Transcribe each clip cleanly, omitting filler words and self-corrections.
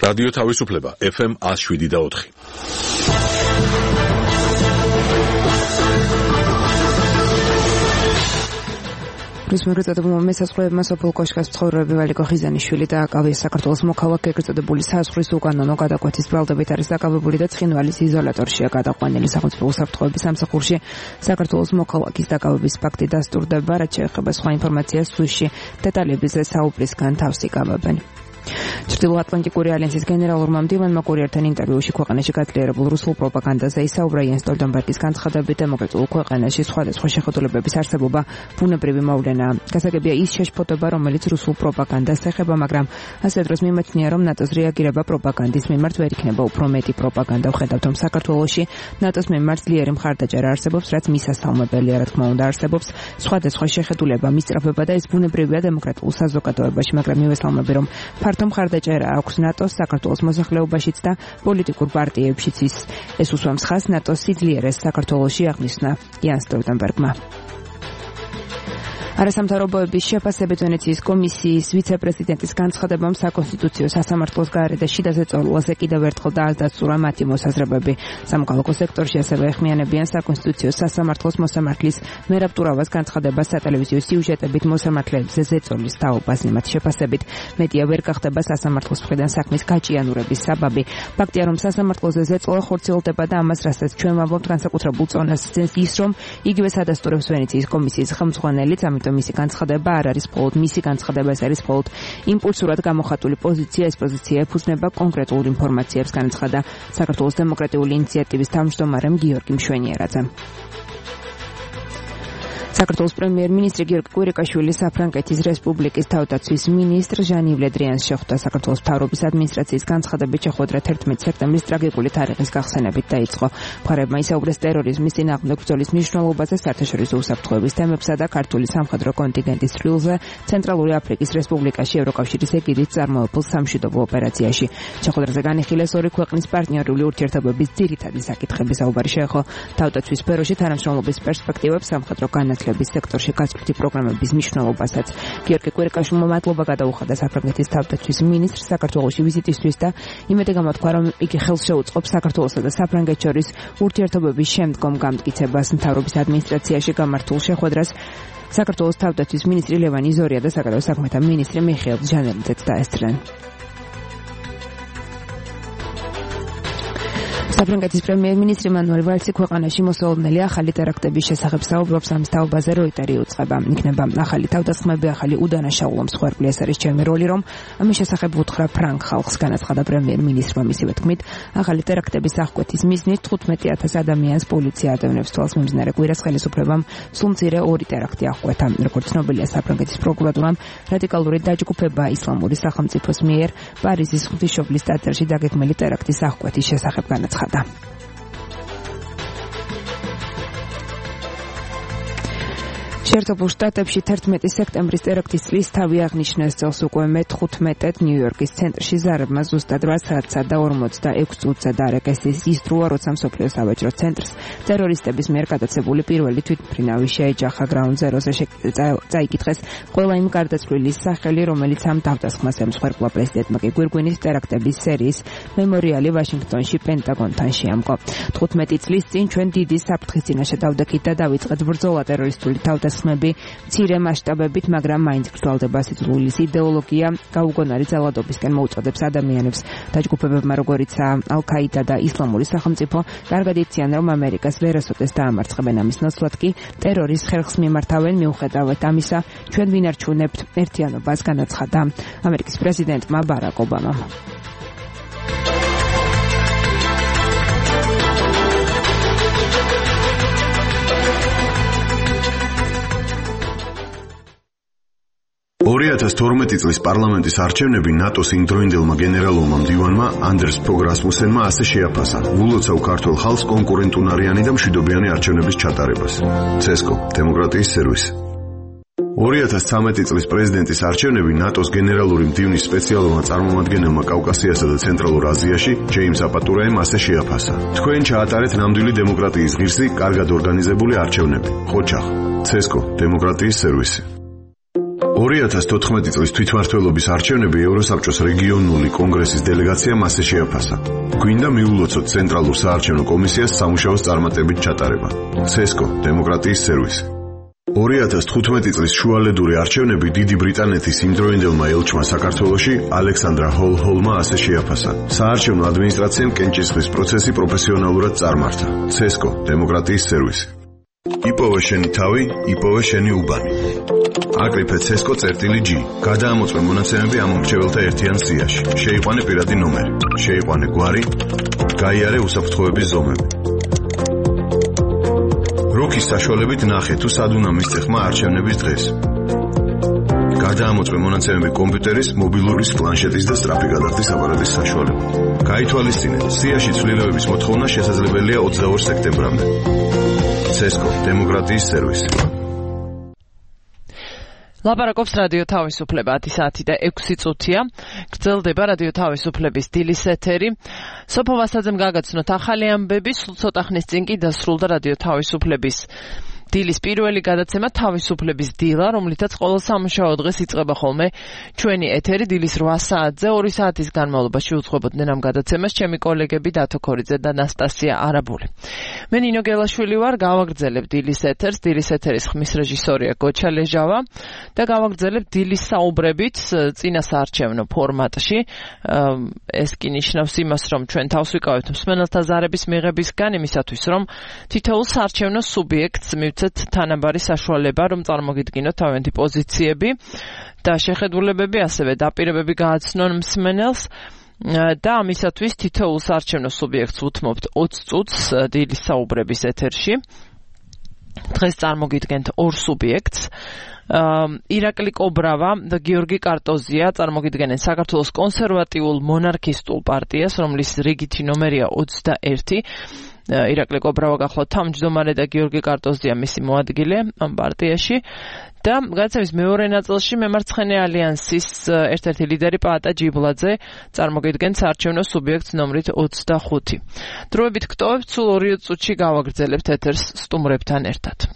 რადიო თავისუფლება FM 107.4. პრესმერწოდებულმა მესაცხოვებმა სოფელ კოშკას მცხოვრები ვალიკო ხიზანიშვილი დააკავეს. საქართველოს მოქალაქე ეგრეთწოდებული საზღვრის უკანონო გადაკვეთის ბრალდებით არის დაკავებული და ცხინვალის იზოლატორშია გადაყვანილი. სახელმწიფო უსაფრთხოების სამსახურში საქართველოს მოქალაქის დაკავების ფაქტი დასტურდება. რაც შეეხება სხვა ინფორმაციას სვისში დეტალებებზე საუბრისგან თავს იკავებენ. ჩრდილოატლანტიკური ალიანსის გენერალურმა მდივანმა კურიერთან ინტერვიუში ქვეყანაში გაძლიერებულ რუსულ პროპაგანდაზე ისაუბრა. იენ სტოლტენბერგის განცხადებით დემოკრატიულ ქვეყანაში სხვადასხვა შეხედულებების არსებობა ბუნებრივი მოვლენაა. გასაგებია ის შეშფოთება, რომელიც რუსულ პროპაგანდას ეხება, მაგრამ ასე დროს მიმაჩნია, რომ ნატოს რეაგირება პროპაგანდის მიმართ ვერ იქნება უფრო მეტი პროპაგანდა. ვხედავთ, რომ საქართველოში ნატოს მიმართ ძლიერი მხარდაჭერა არსებობს, რაც მისასალმებელია, რა თქმა უნდა, არსებობს სხვადასხვა შეხედულება, მისწრაფება და ეს ბუნებრივია დემოკრატიულ საზოგადოებაში, მაგრამ მივესალმები, რომ ფართო მხარდაჭერა აქვს ნატოს საქართველოს მოსახლეობაშიც და პოლიტიკურ პარტიებშიც. ეს უსვამს ხაზს ნატოს სიძლიერეს საქართველოში აღნიშნა იენ სტოლტენბერგმა. არასამთავრობოების შეფასებით ვენეციის კომისიის ვიცე-პრეზიდენტის განცხადებამ საკონსტიტუციო სასამართლოს გარე და შიდა ზეწოლაზე კიდევ ერთხელ დაადასტურა მათი მოსაზრებები. სამოქალაქო სექტორში ასევე ეხმიანებიან საკონსტიტუციო სასამართლოს მოსამართლის მერაბ ტურავას განცხადებას სატელევიზიო სიუჟეტებით მოსამართლეებზე ზეწოლის თაობას. მათი შეფასებით მედია ვერ გახდება სასამართლოს მხრიდან საქმის გაჭიანურების საბაბი. ფაქტია, რომ სასამართლოზე ზეწოლა ხორციელდება და ამას რასაც ჩვენ ვამბობთ განსაკუთრებულ წონას ძენს ის, რომ იგივე სადასტურებს ვენეციის კომისიის ხელმძღვანელიც. მისი განცხადება არ არის მხოლოდ მისი განცხადება, ეს არის მხოლოდ იმპულსურად გამოხატული პოზიცია. ეს პოზიცია ეფუძნება კონკრეტულ ინფორმაციებს, განაცხადა საქართველოს დემოკრატიული ინიციატივის თავმჯდომარემ გიორგი მშვენიერაძემ. საქართველოს პრემიერ-მინისტრი გიორგი კვირიკაშვილი საფრანგეთის რესპუბლიკის თავდაცვის მინისტრ ჟან-იվ ლე დრიანს შეხვდა. საქართველოს მთავრობის ადმინისტრაციის განცხადებით შეხვედრა 11 სექტემბრის ტრაგიკული თარიღის გახსენებით დაიწყო. მხარეებმა ისაუბრეს ტერორიზმის წინააღმდეგ ბრძოლის მნიშვნელობაზე, საერთაშორისო უსაფრთხოების თემებსა და ქართული სამხედრო კონტინგენტის წვლილზე ცენტრალური აფრიკის რესპუბლიკაში ევროკავშირის ეგიდით წარმოებულ სამშვიდობო ოპერაციაში. შეხვედრაზე განიხილეს ორი ქვეყნის პარტნიორული ურთიერთობების ძირითადი საკითხები. საუბარი შეეხო თავდაცვის სფეროში თანამშრომლობის პერსპექტივებს, სამხედრო განათლების სექტორში გაწვრთნილი პროგრამების მნიშვნელობასაც. გიორგი კვირიკაშვილმა მადლობა გადაუხადა საფრანგეთის თავდაცვის მინისტრს საქართველოში ვიზიტისთვის და იმედი გამოთქვა, რომ იგი ხელს შეუწყობს საქართველოსა და საფრანგეთს შორის ურთიერთობების შემდგომ გამტკიცებას. მთავრობის ადმინისტრაციაში გამართულ შეხვედრას საქართველოს თავდაცვის მინისტრი ლევან იზორია და საგარეო საქმეთა მინისტრი მიხეილ ჟანელიძეც დაესწრნენ. საფრანგეთის პრემიერ-მინისტრი მანუელ ვალსი ქვეყანაში მოსალოდნელი ახალი ტერაქტების შესახებ საუბრობს. ამის თაობაზე როიტერი უწყება. იქნება ახალი თავდასხმები, ახალი უდანაშაულო მსხვერპლი. ეს არის ჩემი როლი, რომ ამის შესახებ უთხრა ფრანგ ხალხს, განაცხადა პრემიერ-მინისტრმა. მისივე თქმით, ახალი ტერაქტების აღკვეთის მიზნით 15,000 ადამიანს პოლიცია ადევნებს თვალს. მიმდინარე კვირას ხელისუფლებამ სულ მცირე 2 ტერაქტი აღკვეთა. როგორც ცნობილია, საფრანგეთის პროკურატურამ რადიკალური დაჯგუფება ისლამური სახელმწიფოს მიერ პარიზის ღვთისმშობლის ტაძარში დაგეგმილი ტერაქტის აღკვეთის შესახებ განაცხადა. შეერთებულ შტატებში 11 სექტემბრის ტერაქტის წლის თავი აღნიშნეს. წელს უკვე მე-15 ნიუ-იორკის ცენტრში ზარებმა ზუსტად 8 საათსა და 46 წუთზე დაარეკეს ის დროა, როცა მსოფლიოს სავაჭრო ცენტრს ტერორისტების მიერ გადაცებული პირველი თვითმფრინავი შეეჯახა. Ground Zero-ზე წაიკითხეს ყველა იმ გარდაცვლილის სახელი, რომელიც ამ თავდასხმას ემსხვერპლა. პრეზიდენტმა კი გვირგვინით ტერაქტების სერიის მემორიალი ვაშინგტონში პენტაგონთან შეამკო. 15 წლის წინ ჩვენ დიდი საფრთხის წინაშე დავდექით და დავიწყეთ ბრძოლა ტერორისტული თავდასხმები მცირე მასშტაბებით, მაგრამ მაინც გრძელდება. სიძულვილის იდეოლოგია გაუგონარი ძალადობისკენ მოუწოდებს ადამიანებს. დაჯგუფებებმა, როგორიცაა ალ-ქაიდა და ისლამური სახელმწიფო, კარგად იციან, რომ ამერიკას ვერასოდეს დაამარცხებენ. ამის ნაცვლად კი ტერორის ხერხს მიმართავენ. მიუხედავად ამისა, ჩვენ ვინარჩუნებთ ერთიანობას, განაცხადა ამერიკის პრეზიდენტმა ბარაკ ობამამ. წლის პარლამენტის არჩევნები ნატოს იმდროინდელმა გენერალურმა მდივანმა ანდერს ფოგ რასმუსენმა ასე შეაფასა. ულოცავ ქართულ ხალხს კონკურენტუნარიანი და მშვიდობიანი არჩევნების ჩატარებას. CESCO დემოკრატიის სერვისი. 2013 წლის პრეზიდენტის არჩევნები ნატოს გენერალური მდივნის სპეციალურმა წარმომადგენელმა კავკასიასა და ცენტრალურ აზიაში ჯეიმს აპატურაემ ასე შეაფასა. თქვენ ჩაატარეთ ნამდვილი დემოკრატიის ღირსი, კარგად ორგანიზებული არჩევნები. ხოჩახ. CESCO დემოკრატიის სერვისი. 2014 წლის თვითმმართველობის არჩევნები ევროსაბჭოს რეგიონული კონგრესის დელეგაციამ ასე შეაფასა. გვინდა მიულოცოთ ცენტრალურ საარჩევნო კომისიას სამუშაოს წარმატებით ჩატარება. CESCO დემოკრატიის სერვისი. 2015 წლის შუალედური არჩევნები დიდი ბრიტანეთის იმდროინდელმა ელჩმა საქართველოში ალექსანდრა ჰოლჰოლმა ასე შეაფასა. საარჩევნო ადმინისტრაციამ კენჭისყრის პროცესი პროფესიონალურად წარმართა. CESCO დემოკრატიის სერვისი. იპოვე შენი თავი, იპოვე შენი უბანი. აკრიფე CESCO.G. გადაამოწმე მონაცემები ამ მომრჩეველთა ერთიან სიაში. შეიყვანე პირადი ნომერი. შეიყვანე გვარი. გაიარე უსაფრთხოების ზომები. როქის საშუალებით ნახე თუ სად უნდა მისცე ხმა არჩევნების დღეს. გადაამოწმე მონაცემები კომპიუტერის, მობილურის, პლანშეტის და სწრაფი გადახდის აპარატის საშუალებით. გაითვალისწინე, სიაში ცვლილებების მოთხოვნა შესაძლებელია 22 სექტემბრამდე. CESCO დემოკრატიის სერვისი. ლაპარაკობს რადიო თავისუფლება 10 საათი და 6 წუთია. გრძელდება რადიო თავისუფლების დილის ეთერი. სოფო ვასაძემ გაგაცნოთ ახალი ამბები, სულ ცოტა ხნის წინ კი დასრულდა რადიო თავისუფლების დილის პირველი გადაცემა თავისუფლების დილა, რომლითაც ყოველ სამუშაო დღეს იწყება ხოლმე ჩვენი ეთერი დილის 8 საათზე. 2 საათის განმავლობაში უძღვებოდნენ ამ გადაცემას ჩემი კოლეგები დათო ქორიძე და ნასტასია არაბული. მე ნინო გელაშვილი ვარ, გავაგრძელებ დილის ეთერს. დილის ეთერის ხმის რეჟისორია გოჩა ლეჟავა და გავაგრძელებ დილის საუბრებით წინა საარჩევნო ფორმატში. ეს კი ნიშნავს იმას, რომ ჩვენ თავს ვიკავებთ მსმენელთა ზარების მიღებისგან, იმისათვის რომ თითოეულ საარჩევნო სუბიექტს მივცეთ თანაბარი საშუალება, რომ წარმოგიდგინოთ თავიანთი პოზიციები და შეხედულებები, ასევე დაპირებები გააცნონ მსმენელს. და ამისათვის თითოეულ საარჩევნო სუბიექტს უთმობთ 20 წუთს დილის საუბრების ეთერში. დღეს წარმოგიდგენთ ორ სუბიექტს. ირაკლი კობრავა და გიორგი კარტოზია წარმოგიდგენენ საქართველოს კონსერვატიულ მონარქისტულ პარტიას, რომლის რიგითი ნომერია 21. ირაკლი კობრავა გახლავთ თავმჯდომარე და გიორგი კარტოზია მისი მოადგილე ამ პარტიაში. და გადაცემის მეორე ნაწილში მემარცხენე ალიანსის ერთ-ერთი ლიდერი პაატა ჯიბლაძე წარმოგიდგენთ საარჩევნო სუბიექტს ნომრით 25. დროებით გტოვებთ, სულ 2 წუთში გავაგრძელებთ ეთერს სტუმრებთან ერთად.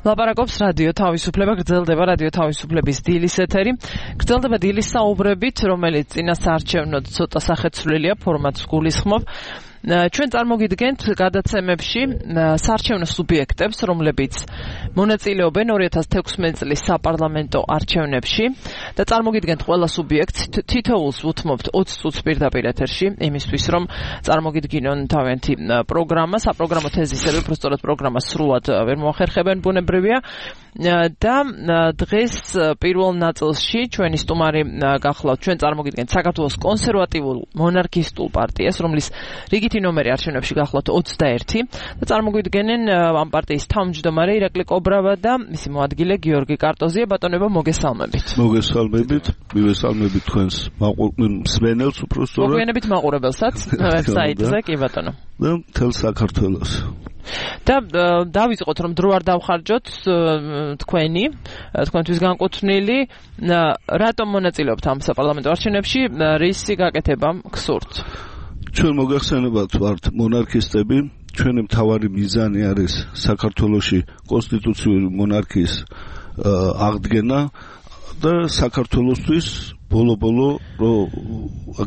ლაპარაკობს რადიო თავისუფლება, გრძელდება რადიო თავისუფლების დილის ეთერი. გრძელდება დილის საუბრებით, რომელიც წინა საარჩევნოდ ცოტა სახეცვლილია, ფორმატს გულისხმობ. ჩვენ წარმოგიდგენთ გადაცემებში საარჩევნო სუბიექტებს, რომლებიც მონაწილეობენ 2016 წლის საპარლამენტო არჩევნებში და წარმოგიდგენთ ყველა სუბიექტს თითოეულს უთმობთ 20 წუთს პირდაპირ ეთერში, იმისთვის რომ წარმოგიდგინონ თავიანთი პროგრამა, საპროგრამო თეზისები, უბრალოდ პროგრამას სრულად ვერ მოახერხებენ, ბუნებრივია. და დღეს პირველ ნაწილში ჩვენი სტუმარი გახლავთ ჩვენ წარმოგიდგენთ საქართველოს კონსერვატიულ მონარქისტულ პარტიას, რომლის რიგითი ნომერი არჩევნებში გახლავთ 21 და წარმოგვიდგენენ ამ პარტიის თავმჯდომარე ირაკლი კობრავა და მისი მოადგილე გიორგი კარტოზია. ბატონებო, მოგესალმებით. მოგესალმებით თქვენს მსმენელს უბრალოდ. მოგვიანებით მაყურებელსაც ვებსაიტზე, კი ბატონო. და მთელ საქართველოს. და დავიწყოთ, რომ დრო არ დავხარჯოთ თქვენთვის განკუთვნილი, რატომ მონაწილეობთ ამ საპარლამენტო არჩევნებში, რისი გაკეთება გსურთ? ჩვენ მოგეხსენებათ ვართ მონარქისტები, ჩვენი მთავარი მიზანი არის საქართველოში კონსტიტუციური მონარქიის აღდგენა და საქართველოსთვის ბოლო-ბოლო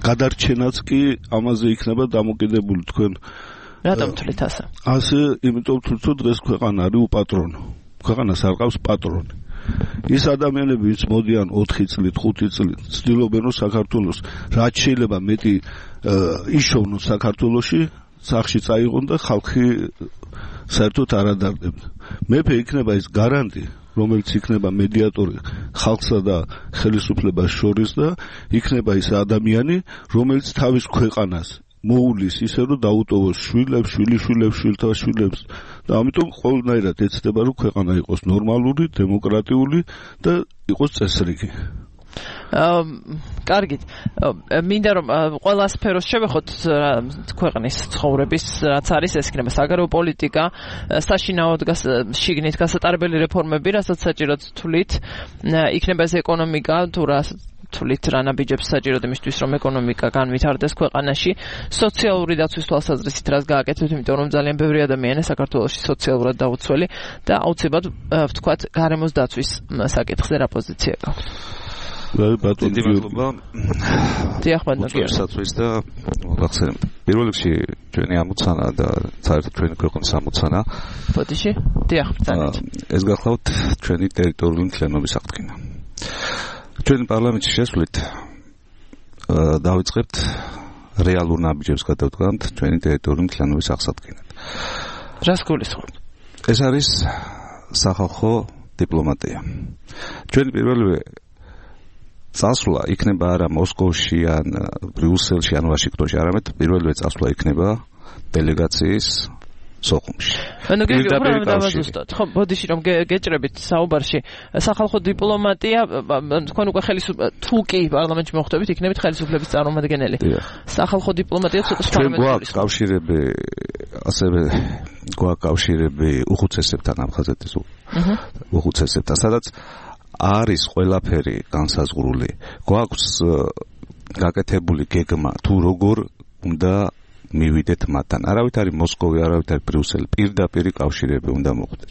გადარჩენაც კი ამაზე იქნება დამოკიდებული. თქვენ რატომ თვლით ასე? ასე, იმიტომ რომ დღეს ქვეყანა არის უპატრონო. ქვეყანას არ ყავს პატრონი. ის ადამიანები, ვინც მოდიან 4 წლით, 5 წლით, ცდილობენ რომ საქართველოს რაც შეიძლება მეტი იშოვნოს საქართველოში, სახში წაიღონ და ხალხი საერთოდ არ ადარდებდა. მეფე იქნება ის გარანტი, რომელიც იქნება მედიატორი ხალხსა და ხელისუფლებას შორის და იქნება ის ადამიანი, რომელიც თავის ქვეყანას მოულის ისე რომ დაუტოვოს შვილებს, შვილთა შვილებს და ამიტომ ყოველნაირად ეცდება რომ ქვეყანა იყოს ნორმალური, დემოკრატიული და იყოს წესრიგი. კარგით. მინდა რომ ყველა სფეროს შევეხოთ ქვეყნის ცხოვრების, რაც არის, ეს იქნება საგარეო პოლიტიკა, საშინაოდ შიგნით გასატარებელი რეფორმები, რასაც საჭიროდ თვლით, იქნება ეს ეკონომიკა, თუ თვლით რა ნაბიჯებს საჭიროდ იმისთვის, რომ ეკონომიკა განვითარდეს ქვეყანაში, სოციალური დაცვის თვალსაზრისით რას გააკეთებთ, იმიტომ რომ ძალიან ბევრი ადამიანია საქართველოში სოციალურად დაუცველი და აუცილებლად ვთქვათ გარემოს დაცვის საკითხზე რა პოზიცია გაქვთ? დიდი მადლობა. დიახ, ბატონო. საწვის და მოგახსენებთ. პირველ რიგში ჩვენი ამოცანა და საერთოდ ჩვენი ქვეყნის ამოცანა. ბოდიში? დიახ, ბრძანეთ. ეს გახლავთ ჩვენი ტერიტორიული მთლიანობის აღდგენა. ჩვენი პარლამენტში შესვლით დავიწყებთ რეალურ ნაბიჯებს გადავდგამთ ჩვენი ტერიტორიული მთლიანობის აღსადგენად. რას გულისხმობთ? ეს არის სახალხო დიპლომატია. ჩვენი პირველი წასვლა იქნება არა მოსკოვში ან ბრიუსელში ან ვაშინგტონში, არამედ პირველი წასვლა იქნება დელეგაციის სოხუმში. ანუ დავაზუსტოთ. ხო, ბოდიში რომ გეჭრებით საუბარში, სახალხო დიპლომატია, თქვენ უკვე თუ კი პარლამენტში მოხვდებით, იქნებით ხელისუფლების წარმომადგენელი. სახალხო დიპლომატია ცოტა სხვა გვაქვს კავშირები, ასევე გვაქვს კავშირები უხუცესებთან, აფხაზეთის უხუცესებთან, სადაც არის ყველაფერი განსაზღვრული. გვაქვს გაკეთებული გეგმა თუ როგორ უნდა მივიდეთ მათთან. არავით არის მოსკოვი, არავით არის ბრიუსელი. პირდაპირ კავშირები უნდა მოხდეს.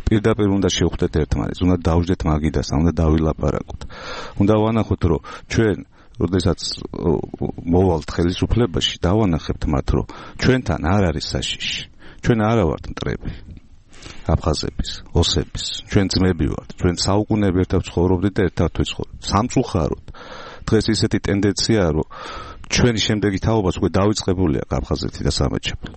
პირდაპირ უნდა შევხვდეთ ერთმანეთს, უნდა დავждეთ მაგიდას, უნდა დავილაპარაკოთ. უნდა ვანახოთ, რომ ჩვენ როდესაც მოვალთ ხელისუფლებაში, დავანახებთ მათ, რომ ჩვენთან არ არის საშიში. ჩვენ არა ვართ მტრები. აფხაზების, ოსების, ჩვენ ძმები ვართ, ჩვენ საუკუნეები ერთად ცხოვრობდით და ერთად ვცხოვრობთ. სამწუხაროდ დღეს ისეთი ტენდენციაა, რომ ჩვენი შემდეგი თაობაც უკვე დავიწყებულია აფხაზეთი და სამეჩეფო.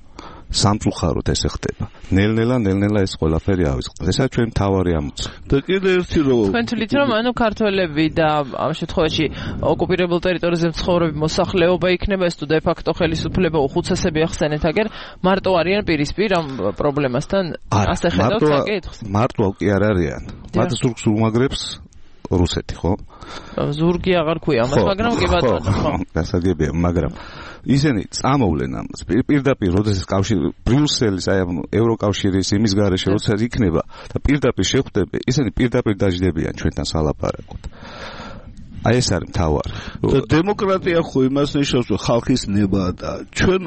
სამწუხაროდ ესე ხდება. ნელ-ნელა ეს ყველაფერი ავიწყდეს. ესაა ჩვენი მთავარი ამოცანა. და კიდევ ერთი რომ თქვენ თვლით, რომ ანუ ქართველები და ამ შემთხვევაში ოკუპირებულ ტერიტორიაზე მცხოვრები მოსახლეობა იქნება ეს თუ დე ფაქტო ხელისუფლება უხუცესები ახსენეთ, აგერ მარტო არიან პირისპირ ამ პრობლემასთან ასე ხედავთ საკითხს? მარტო კი არ არიან. მათ ზურგს უმაგრებს რუსეთი, ხო? ზურგი აღარ ქვია ამას, მაგრამ კი ბატონო, ხო. გასაგებია, მაგრამ ისინი წამოვლენ ამას. პირდაპირ როდესაც კავშირი ბრიუსელის, აი ამ ევროკავშირის იმის გარეშე როცა იქნება და პირდაპირ შეხვდები, ისინი პირდაპირ დაждდებიან ჩვენთან სალაპარაკოთ. აი ეს არის მთავარი. დემოკრატია ხო იმას ნიშნავს, რომ ხალხის ნება და ჩვენ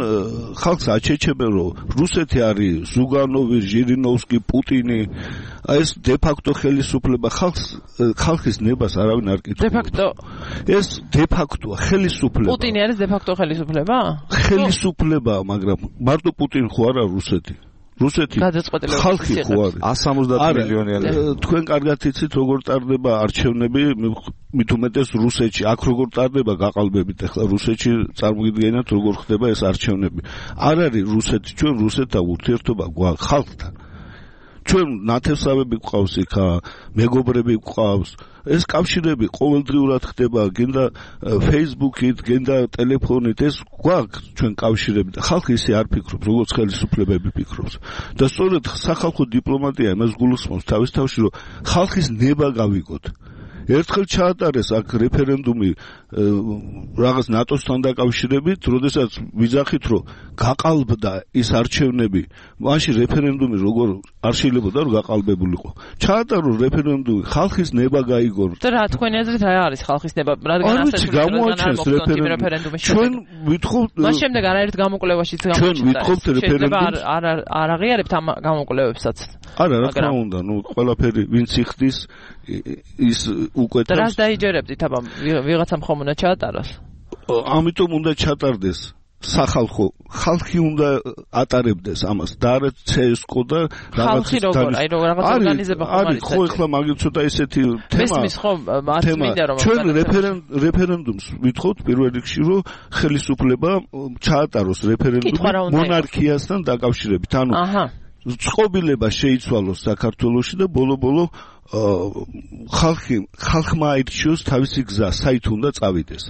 ხალხს აჩეჩებენ, რომ რუსეთი არის ზუგანოვი, ჟირინოვსკი, პუტინი. აი ეს დე ფაქტო ხელისუფლება ხალხის ნებას არავინ არ კითხულობს. დე ფაქტო ეს დე ფაქტოა ხელისუფლება. პუტინი არის დე ფაქტო ხელისუფლება? ხელისუფლება, მაგრამ მარტო პუტინი ხო არა რუსეთი. რუსეთი ხალხი ხო არის 170 მილიონიანი. თქვენ კარგად იცით როგორ ტარდება არჩევნები, მით უმეტეს რუსეთში. აქ როგორ ტარდება გაყალბებით, ახლა რუსეთში წარმოგიდგენთ როგორ ხდება ეს არჩევნები. არ არის რუსეთი, ჩვენ რუსეთთან ურთიერთობა გვაქვს ხალხთან. ჩვენ ნათესავები გვყავს იქა, მეგობრები გვყავს. ეს კავშირები ყოველდღიურად ხდება, გინდა Facebook-ით, გინდა ტელეფონით, ეს გვაქვს ჩვენ კავშირები და ხალხი ისე არ ფიქრობს, როგორც ხელისუფლებები ფიქრობს. და სწორედ სახალხო დიპლომატია იმას გულისხმობს თავის თავში, რომ ხალხის ნება გავიგოთ. ერთხელ ჩაატარეს აქ რეფერენდუმი რაღაც ნატოსთან დაკავშირებით, როდესაც ვიძახით, რომ გაყალბდა ის არჩევნები, მაშინ რეფერენდუმი როგორ არ შეიძლება რომ გაყალბებულიყო. ჩაატარო რეფერენდუმი, ხალხის ნება გაიგო. და რა თქვენი აზრით რა არის ხალხის ნება? რადგან ასე გამოაჩენს რეფერენდუმი. ჩვენ ვითხოვთ მას შემდეგ არაერთ გამოკვლევაშიც გამოჩნდა. ჩვენ ვითხოვთ რეფერენდუმს. არ აღიარებთ ამ გამოკვლევებსაც. არა, რა თქმა უნდა, ყველაფერი ვინც იხდის ის უკვე და რას დაიჯერებდით, აბა ვიღაცამ ხომ უნდა ჩაატაროს? ამიტომ უნდა ჩატარდეს სახალხო, ხალხი უნდა ატარებდეს ამას და არა CSKO და ხალხი როგორ, აი რაღაც ორგანიზება ხომ არის? ხო, ახლა მაგით ცოტა ესეთი თემა. მესმის ხომ არ მინდა რომ ჩვენ რეფერენდუმს ვითხოვთ პირველ რიგში, რომ ხელისუფლება ჩაატაროს რეფერენდუმი მონარქიასთან დაკავშირებით. ანუ წყობილება შეიცვალოს საქართველოში და ბოლო-ბოლო ხალხმა აირჩიოს თავისი გზა, საით უნდა წავიდეს.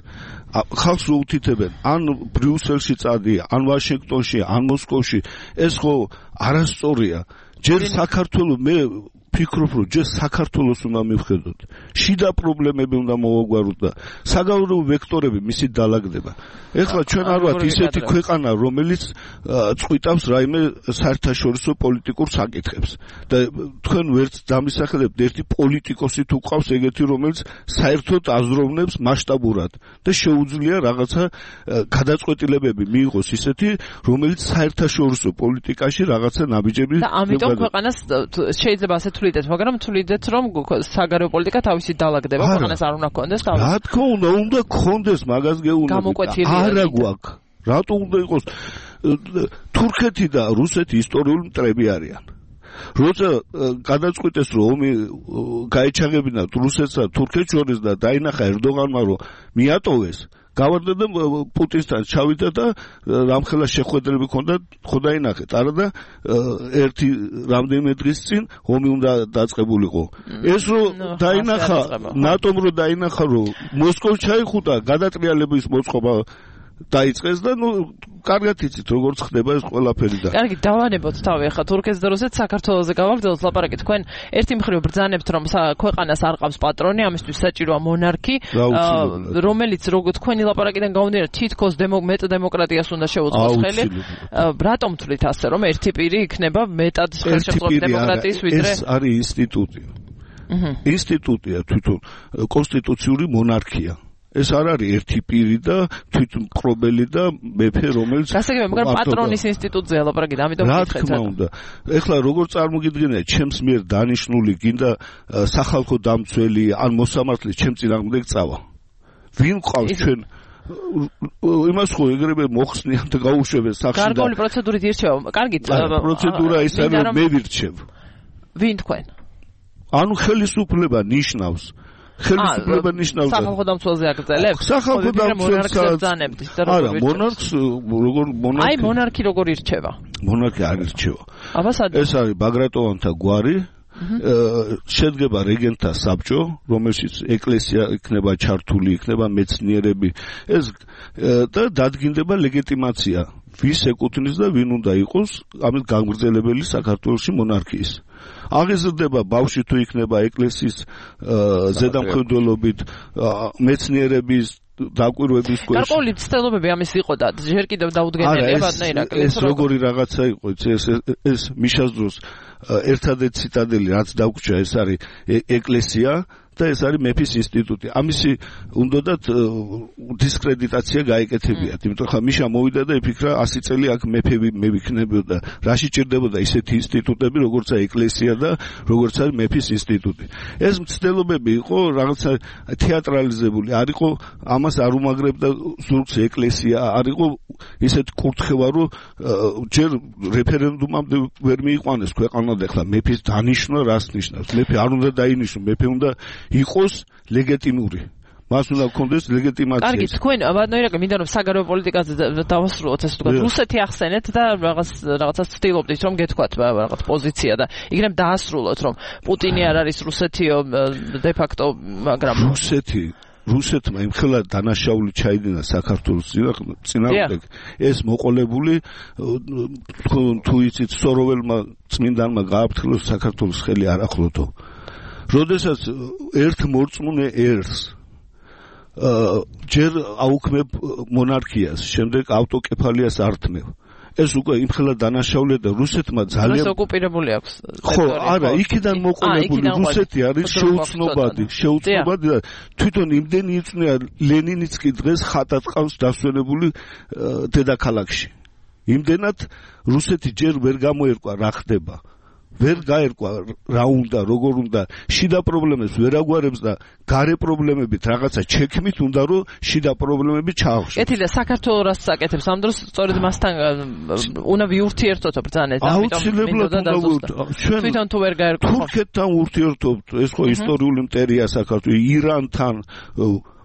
ხალხს რო უთითებენ, ან ბრიუსელში წადია, ან ვაშინგტონში, ან მოსკოვში, ეს ხო არასწორია. ჯერ საქართველოს მე ფიქრობ, რომ ჯერ საქართველოს უნდა მივხედოთ. შიდა პრობლემები უნდა მოვაგვაროთ და საგარეო ვექტორები მისი დაალაგდება. ეხლა ჩვენ არ ვართ ისეთი ქვეყანა, რომელიც წყვიტავს რაიმე საერთაშორისო პოლიტიკურ საკითხებს. და თქვენ ვერც დამისახელებთ ერთი პოლიტიკოსი თუ ყავს ეგეთი, რომელიც საერთოდ აზროვნებს მასშტაბურად და შეუძლია რაღაცა გადაწყვეტილებები მიიღოს ისეთი, რომელიც საერთაშორისო პოლიტიკაში რაღაცა ნაბიჯები და ამიტომ ქვეყანას შეიძლება ასე თვლიდეთ, მაგრამ თვლიდეთ, რომ საგარეო პოლიტიკა თავისი დაალაგდება, ქვეყანას არ უნდა ქონდეს თავისი. რა თქმა უნდა ქონდეს, მაგას გეუბნები. არა გვაქვს. რატო უნდა იყოს? თურქეთი და რუსეთი ისტორიული მტრები არიან. როცა გადაწყვიტეს, რომ ომი გაეჩაღებინა რუსეთსა და თურქეთს შორის და დაინახა ერდოღანმა, რომ მიატოვეს, გავარდა და პუტინთან ჩავიდა და რამხელა შეხვედრები ჰქონდა, ხო დაინახეთ, არა და ერთი რამდენიმე დღის წინ ომი უნდა დაწყებულიყო. ეს რომ დაინახა, ნატომ რომ დაინახა, რომ მოსკოვს ჩაიხუტა, გადატრიალების მოწყობა დაიწყეს და კარგად იცით როგორც ხდება ეს ყველაფერი და კარგი დავანებოთ თავი ახლა თურქეთს და რუსეთს საქართველოზე გავაგრძელოთ ლაპარაკი. თქვენ ერთი მხრივ ბრძანებთ რომ ქვეყანას არ ყავს პატრონი, ამისთვის საჭიროა მონარქი, რომელიც თქვენი ლაპარაკიდან გამომდინარე თითქოს მეტ დემოკრატიას უნდა შეუწყოს ხელი. რატომ თვლით ასე რომ ერთი პირი იქნება მეტად ხელშეწყობილი დემოკრატიის ვიდრე ეს არის ინსტიტუტი. ინსტიტუტია თვითონ კონსტიტუციური მონარქია. ეს არ არის ერთი პირი და თვითმკრობელი და მეფე, რომელიც გასაგებია, მაგრამ პატრონის ინსტიტუტზე ლაპარაკი, ამიტომ რა თქმა უნდა. ეხლა როგორ წარმოგიდგენია, ჩემს მიერ დანიშნული გინდა სახალხო დამცველი ან მოსამართლე ჩემ წინააღმდეგ წავა. ვინ ყავს ჩვენ იმას ხო ეგრევე მოხსნიან და გაუშვებენ სახში და გარკვეული პროცედურით ირჩევა. კარგით, პროცედურა ის არის, რომ მე ვირჩევ. ვინ თქვენ? ანუ ხელისუფლება ნიშნავს ხელისუფლება ნიშნავს სახალხო დამცველზე აგრძელებს? სახალხო დამცველს ბრძანებთ და არა, მონარქს როგორ მონარქი? აი მონარქი როგორ ირჩევა? მონარქი არ ირჩევა. აბა სად? ეს არის ბაგრატონთა გვარი. შედგება რეგენტთა საბჭო, რომელშიც ეკლესია იქნება ჩართული, იქნება მეცნიერები. ეს და დადგინდება ლეგიტიმაცია, ვის ეკუთვნის და ვინ უნდა იყოს ამის გამგრძელებელი საქართველოში მონარქიის. აღიზრდება ბავშვი თუ იქნება ეკლესიის ზედამხედველობით, მეცნიერების დაკვირვების ქვეშ. გარკვეული ცდელობები ამის იყო და ჯერ კიდევ დაუდგენელია ბატონი. ეს როგორი რაღაცა იყო, ეს მიშას დროს ერთადერთი ციტადელი რაც დაგვრჩა, ეს არის ეკლესია და ეს არის მეფის ინსტიტუტი. ამისი უნდათ დისკრედიტაცია გაეკეთებიათ, იმიტომ ხა მიშა მოვიდა და იფიქრა 100 წელი აქ მეფები მე ვიქნებოდა. რაში ჭირდებოდა ისეთი ინსტიტუტები, როგორც ეკლესია და როგორც არის მეფის ინსტიტუტი. ეს მცდელობები იყო რაღაცა თეატრალიზებული, არ იყო ამას არ უმაგრებდა ზურგს ეკლესია, არ იყო ისეთ კურთხევა, რომ ჯერ რეფერენდუმამდე ვერ მიიყვანეს ქვეყანა და ხა მეფის დანიშნვა რას ნიშნავს? მეფე არ უნდა დაინიშნოს, მეფე უნდა იყოს ლეგიტიმური. მას უნდა გქონდეს ლეგიტიმაცია. კარგი, თქვენ ბატონო მინდა რომ საგარეო პოლიტიკაზე დავასრულოთ ესე თქვა. რუსეთი ახსენეთ და რაღაცას ცდილობდით რომ გეთქვათ რაღაც პოზიცია და იქნებ დაასრულოთ რომ პუტინი არ არის რუსეთიო de facto, მაგრამ რუსეთმა იმხელა დანაშაული ჩაიდინა საქართველოს წინააღმდეგ ეს მოყოლებული თუ იცით სოროველმა წმინდანმა გააფრთხილოს საქართველოს ხელი არ ახლოდო. როდესაც ერთ მორწმუნე ერს ჯერ აუქმებ მონარქიას, შემდეგ ავტოკეფალიას ართმევ. ეს უკვე იმხელა დანაშაულია და რუსეთმა ძალიან ეს ოკუპირებული აქვს. ხო, არა, იქიდან მოყოლებული რუსეთი არის შეუცნობადი და თვითონ იმდენი იწვნია ლენინიც კი დღეს ხატად ყავს დასვენებული დედაქალაქში. იმდენად რუსეთი ჯერ ვერ გამოერკვა რა ხდება. ვერ გაერკვა რა უნდა, როგორ უნდა, შიდა პრობლემებს ვერ აგვარებს და გარე პრობლემებით რაღაცა ჩექმით უნდა რომ შიდა პრობლემები ჩაახშოს. კეთილია, საქართველოს რას საკეთებს ამ დროს სწორედ მასთან უნდა ვიურთიერთოთ ბრძანეთ, ჩვენ თვითონ თუ ვერ გაერკვა თურქეთთან ურთიერთობთ, ეს ხო ისტორიული მტერია საქართველოს, ირანთან,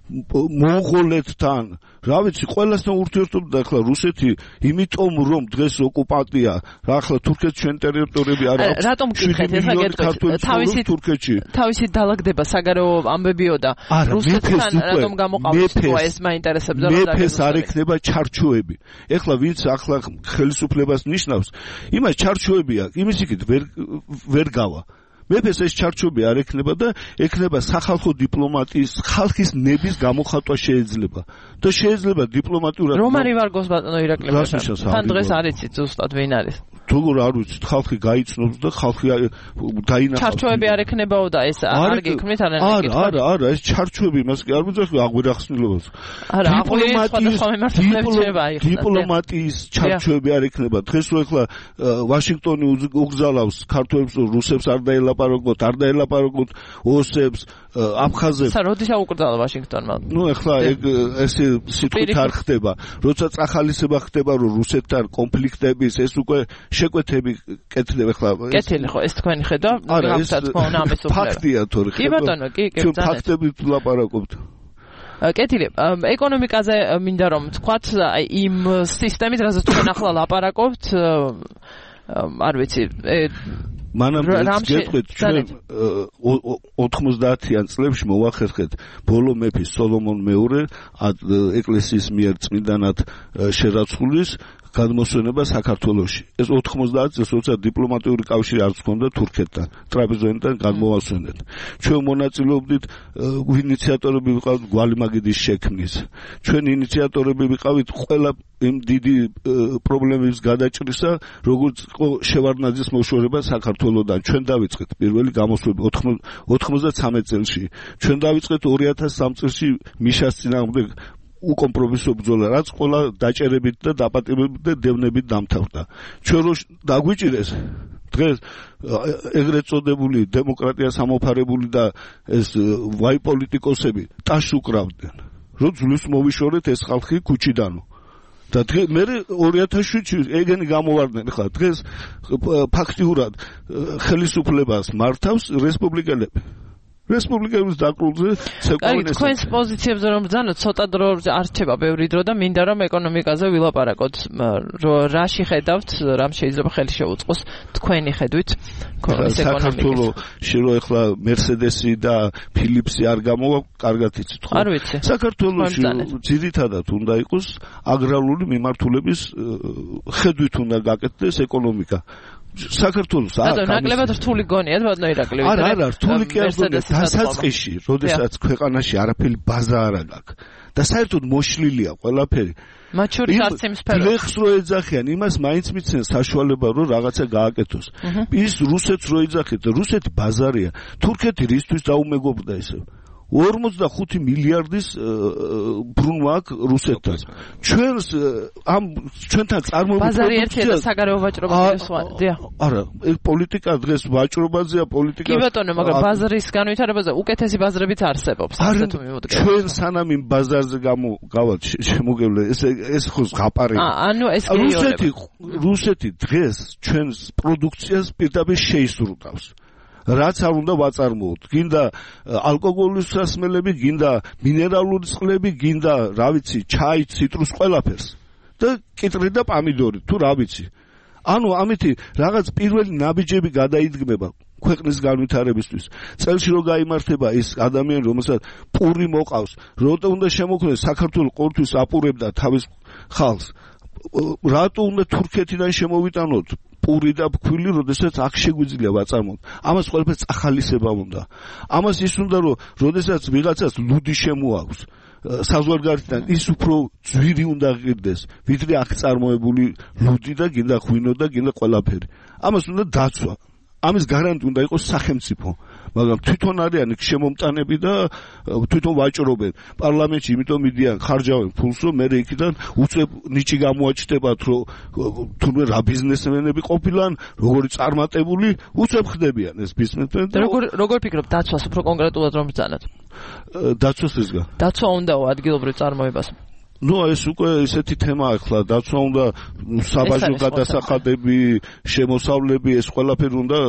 მონღოლეთთან, რა ვიცი, ყველასთან ურთიერთობთ და ახლა რუსეთი იმიტომ რომ დღეს ოკუპანტია, რა ახლა თურქეთს ჩვენ ტერიტორიები არ აქვს. რატომ გითხეთ ეხლა თავისი დალაგდება საგარეო ამბებიო და რუსეთთან რატომ გამოყავს ეს მაინტერესებდა რომ მეფეს არ ექნება ჩარჩოები. ეხლა ვინც ახლა ხელისუფლებას ნიშნავს, იმას ჩარჩოები აქვს, იმის იქით ვერ გავა. მეფეს ეს ჩარჩოები არ ექნება და ექნება სახალხო დიპლომატიის ხალხის ნების გამოხატვა შეიძლება და შეიძლება დიპლომატიურად რომ არის ვარგოს ბატონო ირაკლი თან დღეს არ იცით ზუსტად ვინ არის თულ არ ვიცით ხალხი გაიცნობს და ხალხი დაინახავს ჩარჩოები არ ექნებაო და ეს არ გიქმნით არა ეს ჩარჩოები მას კი არ ვიძახი აღვირახსნილობას არა დიპლომატიის ჩარჩოები არ ექნება დღეს რო ეხლა ვაშინგტონი უგზალავს ქართველებს რუსებს არ დაელაპარაკოთ არ დაელაპარაკოთ ოსებს აფხაზებს როდის აუკრძალა ვაშინგტონმა ნუ ეხლა ეს სიტყვით არ ხდება როცა წახალისება ხდება რომ რუსეთთან კონფლიქტების ეს უკვე შეკვეთები კეთდება ეხლა კეთილი ხო ეს თქვენი ხედვა გავცათ თქო ამის უფლება ფაქტია თორე კი ბატონო კი ჩვენ ფაქტებით ვლაპარაკობთ კეთილი ეკონომიკაზე მინდა რომ თქვათ იმ სისტემით რასაც თქვენ ახლა ლაპარაკობთ არ ვიცი მანამდე გეტყვით ჩვენ 90-იან წლებში მოვახერხეთ ბოლო მეფის სოლომონ მეორე ეკლესიის მიერ წმინდანად შერაცხulis გადმოსვენება საქართველოში. ეს 90 წელს როცა დიპლომატიური კავშირი არც ჰქონდა თურქეთთან, ტრაპეზონიდან გადმოვასვენეთ. ჩვენ მონაწილეობდით ინიციატორები ვიყავით გვალიმაგიდის შექმნის. ჩვენ ინიციატორები ვიყავით ყველა იმ დიდი პრობლემების გადაჭრისა, როგორც შევარდნაძის მოშორება საქართველოსთან. ჩვენ დავიწყეთ პირველი გამოსვლები 93 წელში. ჩვენ დავიწყეთ 2003 წელში მიშას წინააღმდეგ უკომპრომისო ბრძოლა, რაც ყველა დაჭერებით და დაპატიმებით და დევნებით დამთავრდა. ჩვენ რო დაგვიჭირეს დღეს ეგრეთ წოდებული დემოკრატია სამოფარებული და ეს ვაი პოლიტიკოსები ტაშს უკრავდნენ. რო ძვლის მოვიშორეთ ეს ხალხი ქუჩიდანო. და მე 2007-ში ეგენი გამოვარდნენ ხა დღეს ფაქტიურად ხელისუფლებას მართავს რესპუბლიკელები. რესპუბლიკების დაკრულზე ცეკოვინეს. თქვენს პოზიციებზე რომ ბრძანოთ, ცოტა დრო არ რჩება ბევრი დრო და მინდა რომ ეკონომიკაზე ვილაპარაკოთ. რაში ხედავთ, რამ შეიძლება ხელი შეუწყოს თქვენი ხედვით ეს ეკონომიკა. საქართველოში რო ეხლა მერსედესი და ფილიპსი არ გამოვა, კარგად იცით ხო? არ ვიცი. საქართველოში ძირითადად უნდა იყოს აგრარული მიმართულების ხედვით უნდა გაკეთდეს ეკონომიკა. საქართველოს ნაკლებად რთული გონიათ ბატონო ირაკლი არა რთული კი არ გონია დასაწყისში როდესაც ქვეყანაში არაფერი ბაზა არ აქვს და საერთოდ მოშლილია ყველაფერი მათ შორის არც იმ სფეროში ბლეხს რო ეძახიან იმას მაინც მიცენ საშუალება რომ რაღაცა გააკეთოს ის რუსეთს რო ეძახით რუსეთი ბაზარია თურქეთი რისთვის დაუმეგობრდა ესე 45 მილიარდის ბრუნვა აქვს რუსეთთან. ჩვენთან წარმოებული ბაზარი ერთია და საგარეო ვაჭრობა სხვადია. არა, პოლიტიკა დღეს ვაჭრობაზეა, პოლიტიკა. კი ბატონო, მაგრამ ბაზრის განვითარებაზე უკეთესი ბაზრებიც არსებობს. ასე თუ მივუდგეთ. ჩვენ სანამ იმ ბაზარზე გავთ შემოგევლე, ეს ხო ზღაპარია. ანუ ეს გეიორება. რუსეთი დღეს ჩვენს პროდუქციას პირდაპირ შეისრულავს. რაც არ უნდა ვაწარმოოთ. გინდა ალკოგოლის სასმელები, გინდა მინერალური წყლები, გინდა, რა ვიცი, ჩაი, ციტრუს, ყველაფერს. და კიტრი და პამიდორი, თუ რა ვიცი. ანუ ამითი რაღაც პირველი ნაბიჯები გადაიდგმება ქვეყნის განვითარებისთვის. წელში რო გაიმართება ის ადამიანი, რომელსაც პური მოყავს, რატო უნდა შემოქმნეს საქართველოს ყოველთვის აპურებდა თავის ხალხს. რატო უნდა თურქეთიდან შემოვიტანოთ პური და ფქვილი, როდესაც აქ შეგვიძლია ვაწარმოოთ. ამას ყველაფერს ახალისება უნდა. ამას ის უნდა, რომ როდესაც ვიღაცას ლუდი შემოაქვს საზღვარგარეთიდან, ის უფრო ძვირი უნდა ღირდეს, ვიდრე აქ წარმოებული ლუდი და გინდა ღვინო და გინდა ყველაფერი. ამას უნდა დაცვა. ამის გარანტი უნდა იყოს სახელმწიფო. მაგრამ თვითონ არიან შემომტანები და თვითონ ვაჭრობენ პარლამენტში, იმიტომ მიდიან ხარჯავენ ფულს, რომ მე იქიდან უწევ ნიჭი გამოაჩნდებათ, რომ თუნდაც რა ბიზნესმენები ყოფილან, როგორი წარმატებული, უწევ ხდებიან ეს ბიზნესმენები. როგორ ფიქრობ დაცვას უფრო კონკრეტულად რომ ბრძანოთ? დაცვას ისგა. დაცვა უნდაო ადგილობრივ წარმოებას. ეს უკვე ესეთი თემაა ახლა, დაცვა უნდა, საბაჟო გადასახადები, შემოსავლები, ეს ყველაფერი უნდა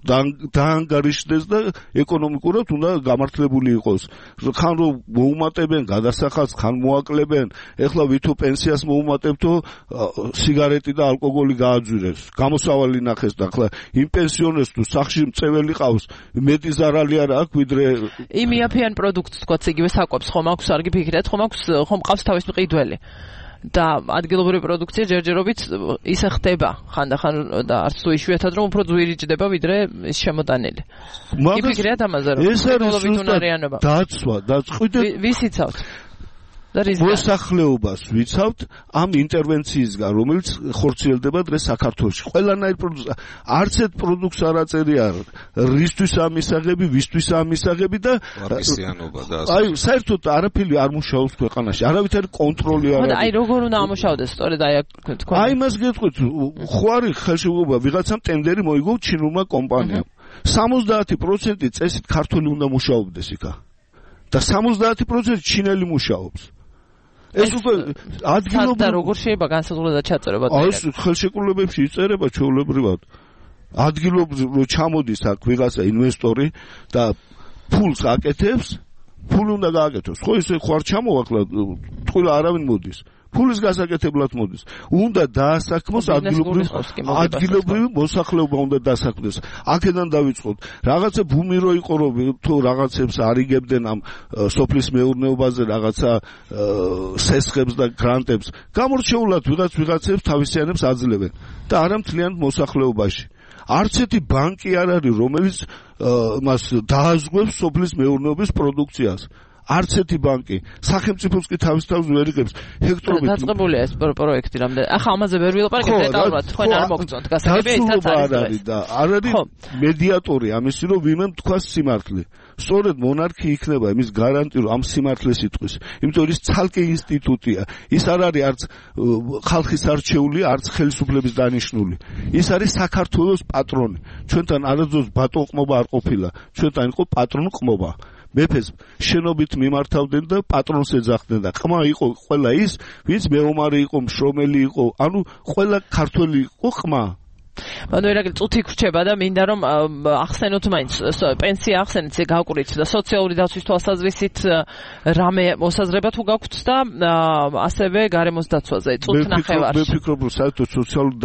დაანგარიშდეს და ეკონომიკურად უნდა გამართლებული იყოს. ხან რომ მოუმატებენ გადასახადს, ხან მოაკლებენ, ეხლა ვითო პენსიას მოუმატებთო სიგარეტი და ალკოგოლი გააძვირეს. გამოსავალი ნახეს და ახლა იმ პენსიონერს თუ სახლში მწეველი ყავს, მეტი ზარალი არ აქვს ვიდრე იმ იაფიან პროდუქტს თქვაც იგივე საკვებს ხომ აქვს, არ გიფიქრეთ, ხომ ყავს თავის მყიდველი. და ადგილობრივი პროდუქცია ჯერჯერობით ისე ხდება ხანდახან და არც თუ იშვიათად რომ უფრო ძვირი ჯდება ვიდრე ის შემოტანილი. იფიქრეთ ამაზე რომ ეს არის დაცვა და ვისიცავთ და მოსახლეობას ვიცავთ ამ ინტერვენციისგან, რომელიც ხორციელდება დღეს საქართველოში. ყველანაირ პროდუქტს, არც ერთ პროდუქტს არ აწერია რისთვის ამისაღები, ვისთვის ამისაღები და ვარგისიანობა და აი საერთოდ არაფერი არ მუშაობს ქვეყანაში. არავითარი კონტროლი არ არის. აი როგორ უნდა ამუშავდეს სწორედ აი თქვენ. აი მას გეტყვით, ხო არის ხელშეუხლება ვიღაცამ ტენდერი მოიგო ჩინურმა კომპანიამ. 70% წესით ქართული უნდა მუშაობდეს იქა. და 70% ჩინელი მუშაობს. ეს უკვე ადგილობრივ და როგორ შეიძლება განსაზღვრება ჩაწერება? აი ხელშეკრულებებში იწერება ჩვეულებრივად. ადგილობრივ რო ჩამოდის აქ ვიღაცა ინვესტორი და ფულს აკეთებს, ფული უნდა გააკეთოს. ხო ისე ხო არ ჩამოვაკლა, თქვა არავინ მოდის. ფულის გასაკეთებლად მოდის. უნდა დაასაქმოს ადგილობრივი მოსახლეობა უნდა დაასაქმდეს. აქედან დავიწყოთ. რაღაცა ბუმი რო იყო რომ თუ რაღაცებს არიგებდნენ ამ სოფლის მეურნეობაზე რაღაცა სესხებს და გრანტებს. გამორჩეულად ვიღაცებს თავისიანებს აძლევენ და არა მთლიან მოსახლეობაში. არც ერთი ბანკი არ არის, რომელიც მას დააზღვევს სოფლის მეურნეობის პროდუქციას. არც ერთი ბანკი სახელმწიფოს კი თავის ვერ იღებს ჰექტორობით. დაწყებულია ეს პროექტი რამდენი. ახლა ამაზე ვერ ვილაპარაკებ დეტალურად, თქვენ არ მოგწონთ გასაგებია ისაც არის და არ არის მედიატორი ამისი რომ ვინმე თქვას სიმართლე. სწორედ მონარქი იქნება იმის გარანტი რომ ამ სიმართლეს იტყვის. იმიტომ ის ცალკე ინსტიტუტია. ის არ არის არც ხალხის არჩეული, არც ხელისუფლების დანიშნული. ის არის საქართველოს პატრონი. ჩვენთან არასდროს ბატონყმობა არ ყოფილა. ჩვენთან იყო პატრონყმობა. მეფეს შენობით მიმართავდნენ და პატრონს ეძახდნენ და ყმა იყო ყველა ის, ვინც მეომარი იყო, მშრომელი იყო, ანუ ყველა ქართველი იყო ყმა. ანუ ერაგილ წუთი გრჩება და მინდა რომ ახსენოთ მაინც პენსია ახსენეთ გავყურით და სოციალური დაცვის თვალსაზრისით რამე მოსაზრება თუ გაქვთ და ასევე გარემოს დაცვაზე წუთ ნახევარში. მე ვფიქრობ რომ საერთოდ სოციალური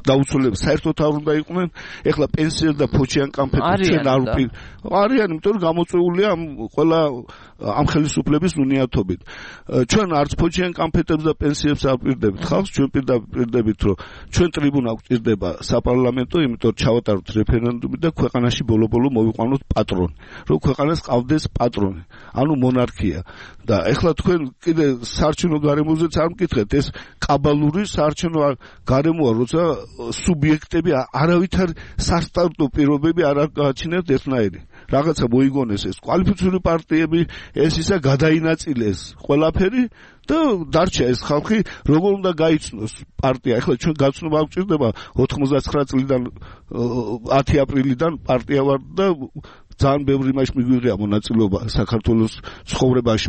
დაუცველები საერთოდ არ უნდა იყვნენ. ეხლა პენსიერ და ფოჩიან კამპეტენცია ჩვენ არ არიან, იმიტომ რომ გამოწვეულია ყველა ამ ხელისუფლების უნიათობით. ჩვენ არც ფოჩიან კამპეტენცებს და პენსიებს არ პირდებით ხალხს, ჩვენ პირდებით რომ ჩვენ ტრიბუნა გვჭირდება საპარლამენტო, იმიტომ რომ ჩავატაროთ რეფერენდუმი და ქვეყანაში ბოლო-ბოლო მოვიყვანოთ პატრონი. რომ ქვეყანას ყავდეს პატრონი, ანუ მონარქია. და ეხლა თქვენ კიდე საარჩევნო გარემოზეც არ მკითხეთ, ეს კაბალური საარჩევნო გარემოა, როცა სუბიექტები არავითარ სასტარტო პირობები არ გააჩინებთ ერთნაირი. რაღაცა მოიგონეს ეს კვალიფიციური პარტიები, ეს ისა გადაინაწილეს ყველაფერი და დარჩა ეს ხალხი როგორ უნდა გაიცნოს პარტია. ეხლა ჩვენ გაცნობა გვჭირდება 99 წლიდან 10 აპრილიდან პარტია ვარ და ძალიან ბევრი იმაში მიგვიღია მონაწილეობა საქართველოს ცხოვრებაში.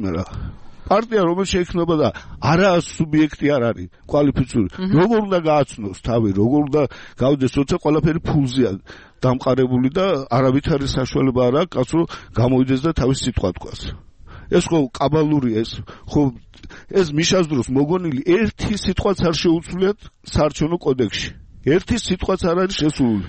პარტია რომელიც შეიქმნება და არა სუბიექტი არ არის კვალიფიციური. როგორ უნდა გააცნოს თავი, როგორ უნდა გავიდეს, როცა ყველაფერი ფულზეა დამყარებული და არავითარი საშუალება არ აქვს კაცო გამოვიდეს და თავის სიტყვა თქვას. ეს ხო კაბალური ეს მიშას დროს მოგონილი ერთი სიტყვაც არ შეუცვლიათ საარჩევნო კოდექსში. ერთი სიტყვაც არ არის შესული.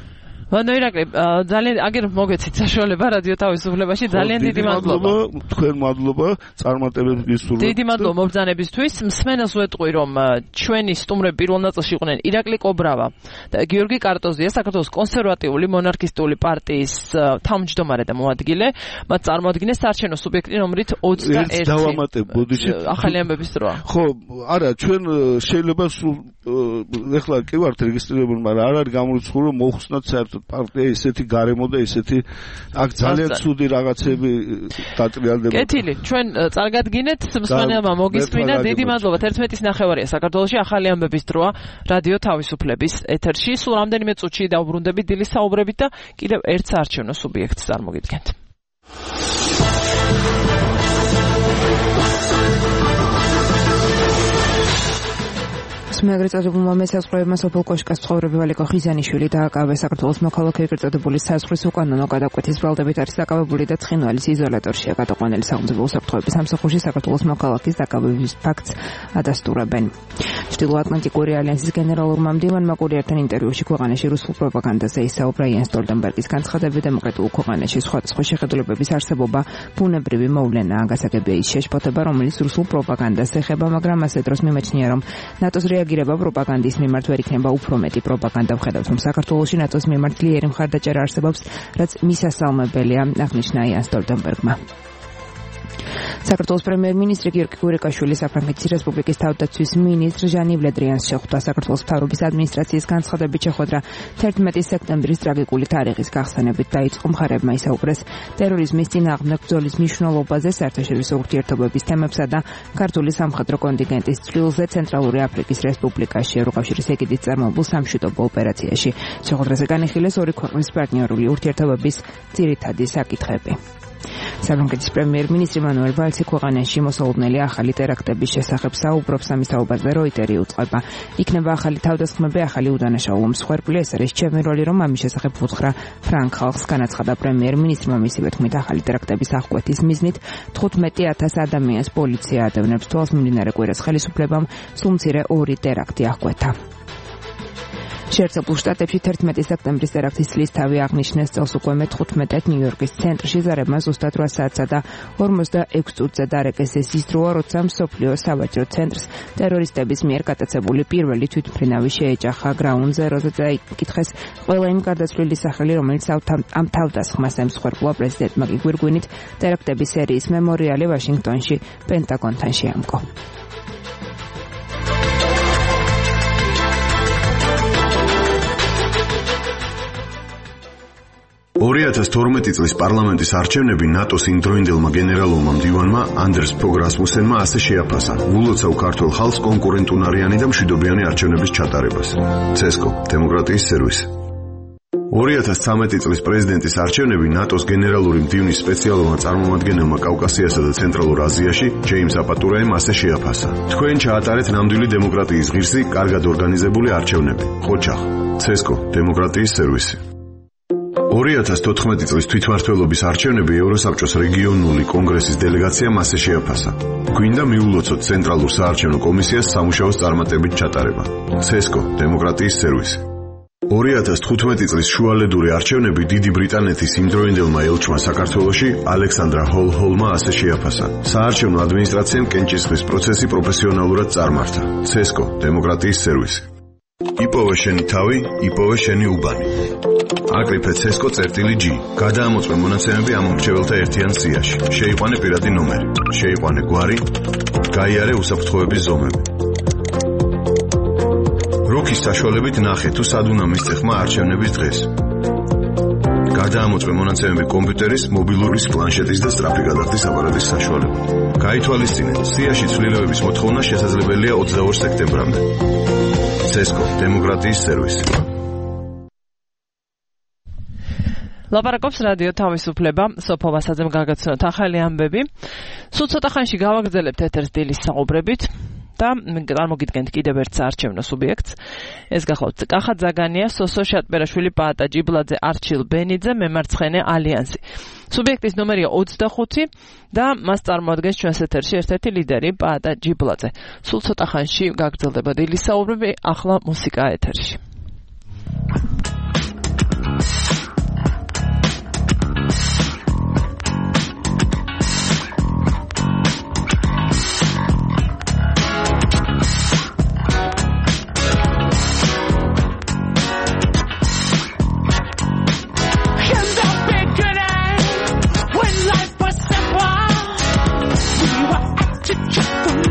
ვანო ირაკლი, ძალიან აგერ მოგეცით საშუალება რადიო თავისუფლებაში, ძალიან დიდი მადლობა. თქვენ მადლობა წარმატებებს გისურვებთ. დიდი მადლობა მობრძანებისთვის. მსმენელს ვეტყვი, რომ ჩვენი სტუმრები პირველ ნაწილში იყვნენ ირაკლი კობრავა და გიორგი კარტოზია, საქართველოს კონსერვატიული მონარქისტული პარტიის თავმჯდომარე და მოადგილე. მათ წარმოადგენს საარჩევნო სუბიექტი ნომრით 21. დავამატებ, ბოდიში. ახალი ამბების დროა. ხო, არა, ჩვენ შეიძლება ეხლა კი ვართ რეგისტრირებული, მაგრამ არ არის გამორიცხული, რომ მოხსნათ საერთოდ პარტია ისეთი გარემო და ისეთი აქ ძალიან ცუდი რაღაცები დატრიალდება. კეთილი, ჩვენ წარგადგინეთ, მსმენელმა მოგისმინა, დიდი მადლობა. 11:09 საქართველოში ახალი ამბების დროა რადიო თავისუფლების ეთერში. სულ რამდენიმე წუთში დავბრუნდებით დილის საუბრებით და კიდევ ერთ საარჩევნო სუბიექტს წარმოგიდგენთ. მეაგრეთ წოდებულმა მესაზღვრეებმა სოფელ კოშკას მცხოვრები ვალიკო ხიზანიშვილი დააკავეს. საქართველოს მოქალაქე ეგრეთ წოდებული საზღვრის უკანონო გადაკვეთის ბრალდებით არის დაკავებული და ცხინვალის იზოლატორშია გადაყვანილი. სახელმწიფო უსაფრთხოების სამსახურში საქართველოს მოქალაქის დაკავების ფაქტს ადასტურებენ. ჩრდილოატლანტიკური ალიანსის გენერალურმა მდივანმა კურიერთან ინტერვიუში ქვეყანაში რუსულ პროპაგანდაზე ისაუბრა. იენ სტოლტენბერგის განცხადებით დემოკრატიულ ქვეყანაში სხვადასხვა შეხედულებების არსებობა ბუნებრივი მოვლენაა. გასაგებია ის შეშფოთება, რომელიც რუსულ პროპაგანდას ეხება, მაგრამ ასე დროს მიმაჩნია, რომ ნატოს რეაგირება პროპაგანდის მიმართ ვერ იქნება უფრო მეტი. პროპაგანდა ვხედავთ, რომ საქართველოში ნატოს მიმართ ძლიერი მხარდაჭერა არსებობს, რაც მისასალმებელია, აღნიშნა იენ სტოლტენბერგმა. საქართველოს პრემიერ-მინისტრი გიორგი გურიკაშვილი საფრანგეთის რესპუბლიკის თავდაცვის მინისტრ ჟანი ვლედრიანს შეხვდა. საქართველოს მთავრობის ადმინისტრაციის განცხადებით შეხვედრა 11 სექტემბრის ტრაგიკული თარიღის გახსენებით დაიწყო. მხარებმა ისაუბრეს ტერორიზმის წინააღმდეგ ბრძოლის მნიშვნელობაზე, საერთაშორისო ურთიერთობების თემებსა და ქართული სამხედრო კონტინგენტის წვლილზე ცენტრალური აფრიკის რესპუბლიკაში ევროკავშირის ეგიდით წარმოებულ სამშვიდობო ოპერაციაში. შეხვედრაზე განიხილეს ორი ქვეყნის პარტნიორული ურთიერთობების ძირითადი საკითხები. საფრანგეთის პრემიერ-მინისტრი მანუელ ვალსი ქვეყანაში მოსალოდნელი ახალი ტერაქტების შესახებ საუბრობს. ამის საუბარზე როიტერი უწყება. იქნება ახალი თავდასხმები, ახალი უდანაშაულო მსხვერპლი. ეს არის ჩემი როლი, რომ ამის შესახებ ვუთხრა ფრანგ ხალხს, განაცხადა პრემიერ-მინისტრმა. მისივე თქმით, ახალი ტერაქტების აღკვეთის მიზნით 15,000 ადამიანს პოლიცია ადევნებს თვალს. მიმდინარე კვირას ხელისუფლებამ სულ მცირე 2 ტერაქტი აღკვეთა. შეერთებულ შტატებში 11 სექტემბრის ტერაქტის წლისთავი აღნიშნეს. წელს უკვე მე-15 ნიუ-იორკის ცენტრში ზარებმა ზუსტად 8 საათსა და 46 წუთზე დარეკეს. ეს ის დროა, როცა მსოფლიო სავაჭრო ცენტრს ტერორისტების მიერ გატაცებული პირველი თვითმფრინავი შეეჯახა. Ground Zero-ზე დაიკითხეს ყველა იმ გარდაცვლილი სახელი, რომელიც ამ თავდასხმას ემსხვერპლა. პრეზიდენტმა კი გვირგვინით ტერაქტების სერიის მემორიალი ვაშინგტონში პენტაგონთან შეამკო. 2012 წლის პარლამენტის არჩევნები ნატოს იმდროინდელმა გენერალურმა მდივანმა ანდერს ფოგ რასმუსენმა ასე შეაფასა ულოცავ ქართულ ხალხს კონკურენტუნარიანი და მშვიდობიანი არჩევნების ჩატარებას. CESCO დემოკრატიის სერვისი. 2013 წლის პრეზიდენტის არჩევნები ნატოს გენერალური მდივნის სპეციალურმა წარმომადგენელმა კავკასიასა და ცენტრალურ აზიაში ჯეიმს აპატურაემ ასე შეაფასა. თქვენ ჩაატარეთ ნამდვილი დემოკრატიის ღირსი, კარგად ორგანიზებული არჩევნები. ხოჩახ. CESCO დემოკრატიის სერვისი. 2014 წლის თვითმმართველობის არჩევნები ევროსაბჭოს რეგიონული კონგრესის დელეგაციამ ასე შეაფასა. გვინდა მიულოცოთ ცენტრალურ საარჩევნო კომისიას სამუშაოს წარმატებით ჩატარება. CESCO დემოკრატიის სერვისი. 2015 წლის შუალედური არჩევნები დიდი ბრიტანეთის იმდროინდელმა ელჩმა საქართველოში ალექსანდრა ჰოლჰოლმა ასე შეაფასა. საარჩევნო ადმინისტრაციამ კენჭისყრის პროცესი პროფესიონალურად წარმართა. CESCO დემოკრატიის სერვისი. იპოვე შენი თავი, იპოვე შენი უბანი. აკრიფე CESCO_G. გადაამოწმე მონაცემები ამ მრჩეველთა ერთიან სიაში. შეიყვანე პირადი ნომერი, შეიყვანე გვარი, გაიარე უსაფრთხოების ზომები. როქის საშუალებით ნახე თუ სად უნდა მისცეხმა არჩევნების დღეს. გადაამოწმე მონაცემები კომპიუტერის, მობილურის, პლანშეტის და სწრაფი გადახდის აპარატის საშუალებით. გაითვალისწინე, სიაში ცვლილებების მოთხოვნა შესაძლებელია 22 სექტემბრამდე. CESCO დემოკრატიის სერვისი. ლაპარაკობს რადიო თავისუფლება, სოფო ვასაძემ გაგაცნოთ ახალი ამბები. სულ ცოტა ხანში გავაგრძელებთ ეთერს დილის საუბრებით და წარმოგიდგენთ კიდევ ერთ საარჩევნო სუბიექტს. ეს გახლავთ კახა ძაგანია, სოსო შატბერაშვილი, პაატა ჯიბლაძე, არჩილ ბენიძე, მემარცხენე ალიანსი. სუბიექტის ნომერია 25 და მას წარმოადგენს ჩვენს ეთერში ერთ-ერთი ლიდერი პაატა ჯიბლაძე. სულ ცოტა ხანში გაგრძელდება დილის საუბრები, ახლა მუსიკა ეთერში.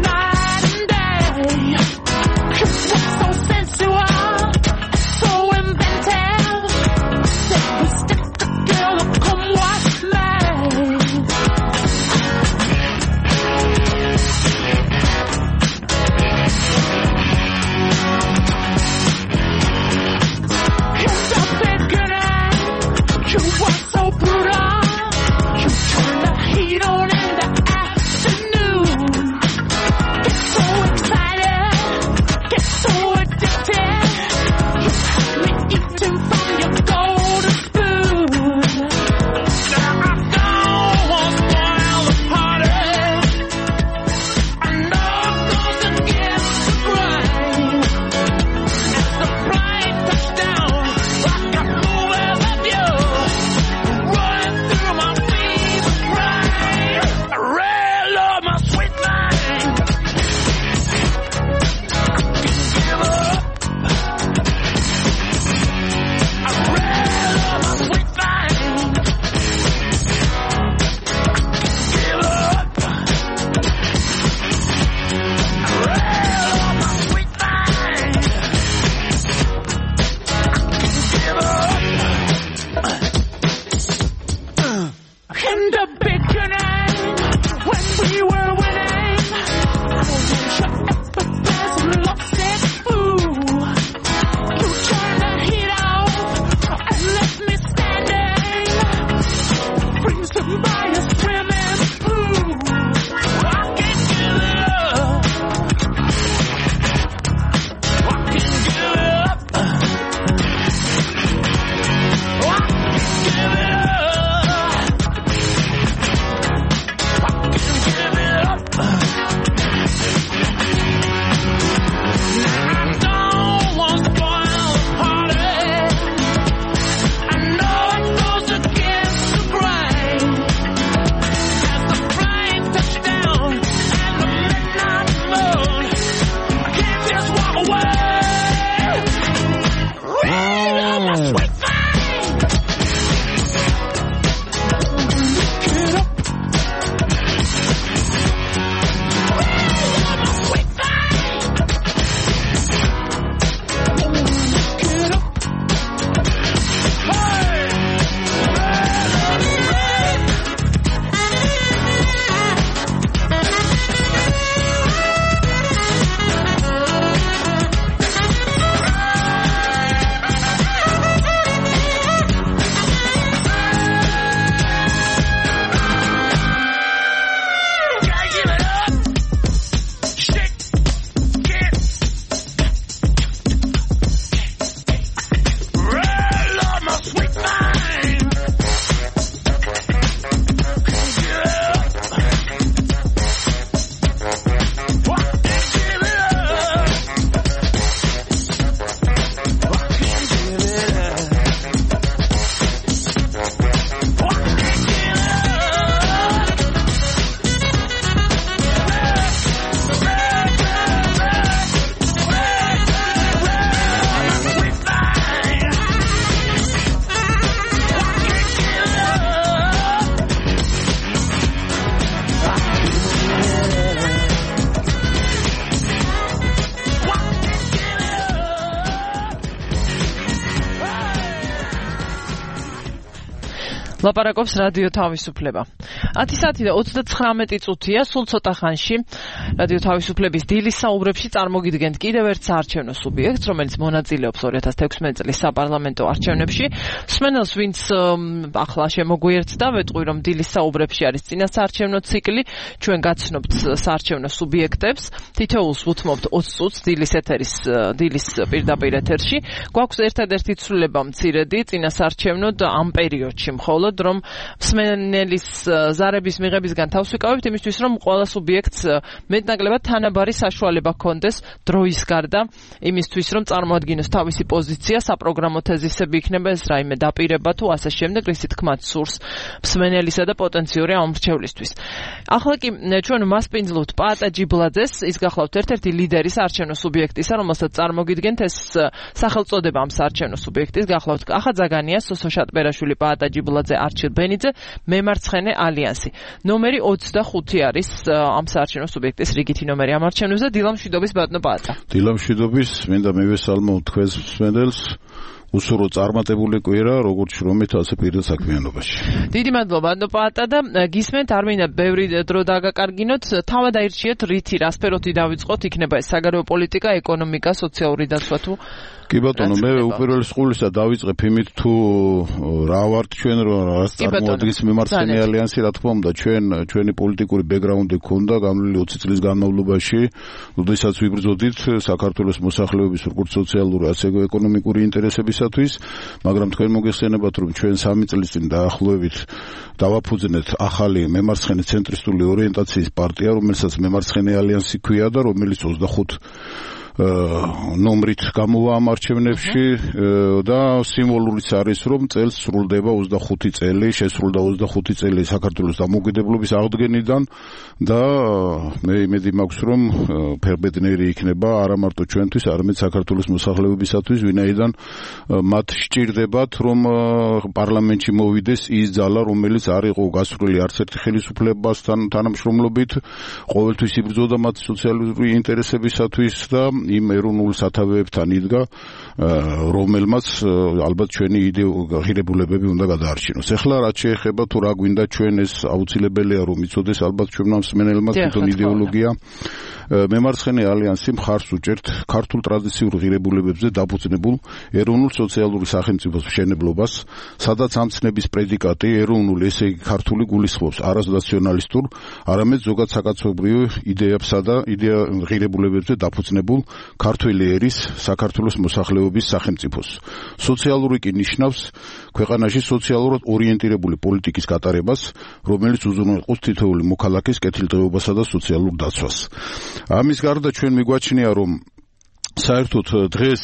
Night and day, 'cause we're so sensual. ლაპარაკობს რადიო თავისუფლება. 10 საათი და 39 წუთია, სულ ცოტა ხანში რადიო თავისუფლების დილის საუბრებში წარმოგიდგენთ კიდევ ერთ საარჩევნო სუბიექტს, რომელიც მონაწილეობს 2016 წლის საპარლამენტო არჩევნებში. მსმენელს, ვინც ახლა შემოგვიერთდა, ვეტყვი, რომ დილის საუბრებში არის წინა საარჩევნო ციკლი. ჩვენ გაცნობთ საარჩევნო სუბიექტებს, თითოეულს ვუთმობთ 20 წუთს დილის პირდაპირ ეთერში. გვაქვს ერთადერთი ცვლილება მცირედი წინა საარჩევნოდ ამ პერიოდში, მხოლოდ რომ მსმენელის ზარების მიღებისგან თავს ვიკავებთ იმისთვის, რომ ყველა სუბიექტს მეტნაკლებად თანაბარი საშუალება ჰქონდეს დროის გარდა იმისთვის, რომ წარმოადგინოს თავისი პოზიცია, საპროგრამო თეზისები იქნება ეს რაიმე დაპირება თუ ასე შემდეგ, რისი თქმაც სურს მსმენელისა და პოტენციური ამრჩევლისთვის. ახლა კი ჩვენ მასპინძლობთ პაატა ჯიბლაძეს, ის გახლავთ ერთ-ერთი ლიდერი საარჩევნო სუბიექტისა, რომელსაც წარმოგიდგენთ ეს სახელწოდება ამ საარჩევნო სუბიექტის, გახლავთ ახა ზაგანია, სოსო შატბერაშვილი, პაატა ჯიბლაძე, არჩილ ბენიძე, მემარცხენე ალიანსი. ნომერი 25 არის ამ საარჩევნო სუბიექტის რიგითი ნომერი ამ არჩევნებზე. დილამშვიდობის ბატონო პაატა. დილამშვიდობის, მინდა მივესალმო თქვენს მსმენელს. უსურო წარმატებული კვირა, როგორც შრომით, ასე პირდ საქმიანობაში. დიდი მადლობა ბატონო პაატა და გისმენთ, არ მინდა ბევრი დრო დაგაკარგინოთ, თავად აირჩიეთ რითი, რა სფეროთი დავიწყოთ, იქნება ეს საგარეო პოლიტიკა, ეკონომიკა, სოციალური დაცვა თუ კი ბატონო, მე უპირველეს ყოვლისა დავიწყებ იმით თუ რა ვართ ჩვენ, რა წარმოადგენს მემარცხენე ალიანსი, რა თქმა უნდა, ჩვენი პოლიტიკური ბექგრაუნდი ქონდა გამლული 20 წლის განმავლობაში, როდესაც ვიბრძოდით საქართველოს მოსახლეობის როგორც სოციალური, ასე ეკონომიკური ინტერესებისათვის, მაგრამ თქვენ მოგეხსენებათ, რომ ჩვენ 3 წლის წინ დაახლოებით დავაფუძნეთ ახალი მემარცხენე ცენტრისტული ორიენტაციის პარტია, რომელსაც მემარცხენე ალიანსი ქვია და რომელიც 25 ნომრით გამოვა ამ არჩევნებში და სიმბოლურიც არის, რომ წელს სრულდება 25 წელი, შესრულდა 25 წელი საქართველოს დამოუკიდებლობის აღდგენიდან და მე იმედი მაქვს, რომ ფერბედნერი იქნება არა მარტო ჩვენთვის, არამედ საქართველოს მოსახლეობისათვის, ვინაიდან მათ სჭირდებათ, რომ პარლამენტში მოვიდეს ის ძალა, რომელიც არ იყო გასრული არც ერთი ხელისუფლებასთან თანამშრომლობით, ყოველთვის იბრძოდა მათ სოციალური ინტერესებისათვის და იმ ეროვნულ სათავეებთან იდგა, რომელმაც ალბათ ჩვენი ღირებულებები უნდა გადაარჩინოს. ეხლა რაც შეეხება თუ რა გვინდა ჩვენ, ეს აუცილებელია რომ იცოდეს ალბათ ჩვენმა მსმენელებმა თვითონ იდეოლოგია. მემარცხენე ალიანსი მხარს უჭერთ ქართულ ტრადიციურ ღირებულებებზე დაფუძნებულ ეროვნულ სოციალური სახელმწიფოს მშენებლობას, სადაც ამ ცნების პრედიკატი ეროვნული, ესე იგი ქართული გულისხმობს არას ნაციონალისტურ, არამედ ზოგად საკაცობრიო იდეებსა და ღირებულებებზე დაფუძნებულ ქართველი ერის საქართველოს მოსახლეობის სახელმწიფოს. სოციალური კი ნიშნავს ქვეყანაში სოციალურად ორიენტირებული პოლიტიკის გატარებას, რომელიც უზრუნველყოფს თითოეული მოქალაქის კეთილდღეობასა და სოციალურ დაცვას. ამის გარდა ჩვენ მიგვაჩნია, რომ საერთოდ დღეს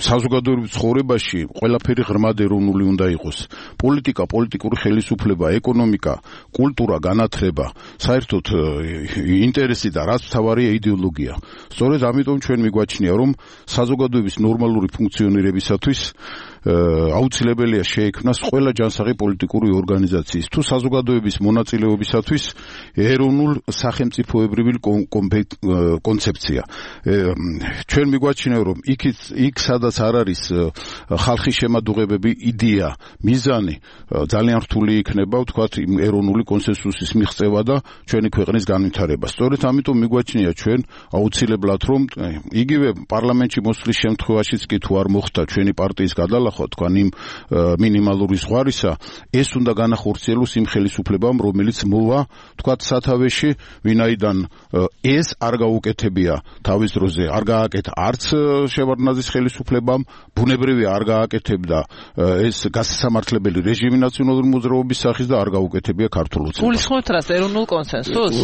საზოგადოებრივ ცხოვრებაში ყველაფერი ღრმად ეროვნული უნდა იყოს. პოლიტიკა, პოლიტიკური ხელისუფლება, ეკონომიკა, კულტურა, განათლება, საერთოდ ინტერესი და რაც მთავარია იდეოლოგია. სწორედ ამიტომ ჩვენ მიგვაჩნია, რომ საზოგადოების ნორმალური ფუნქციონირებისათვის აუცილებელია შეექმნას ყველა ჯანსაღი პოლიტიკური ორგანიზაციის თუ საზოგადოების მონაწილეობისათვის ეროვნულ სახელმწიფოებრივი კონცეფცია. ჩვენ მიგვაჩნია, რომ იქ სადაც არ არის ხალხის შემადუღებები, იდეა, მიზანი, ძალიან რთული იქნება, ვთქვათ, ეროვნული კონსენსუსის მიღწევა და ჩვენი ქვეყნის განვითარება. სწორედ ამიტომ მიგვაჩნია ჩვენ აუცილებლად, რომ იგივე პარლამენტში მოსვლის შემთხვევაშიც კი თუ არ მოხდა ჩვენი პარტიის გადალახვა, თქვენ იმ მინიმალური ზღვარისა, ეს უნდა განახორციელოს იმ ხელისუფლებამ, რომელიც მოვა, თქვათ, სათავეში, ვინაიდან ეს არ გაუკეთებია თავის დროზე, არ გააკეთა არც შევარდნაძის ხელისუფლებამ, ბუნებრივია არ გააკეთებდა ეს გასამართლებელი რეჟიმი ნაციონალური მოძრაობის სახის და არ გაუკეთებია ქართულ ოცნებას. გულისხმობთ რას, ეროვნულ კონსენსუსს?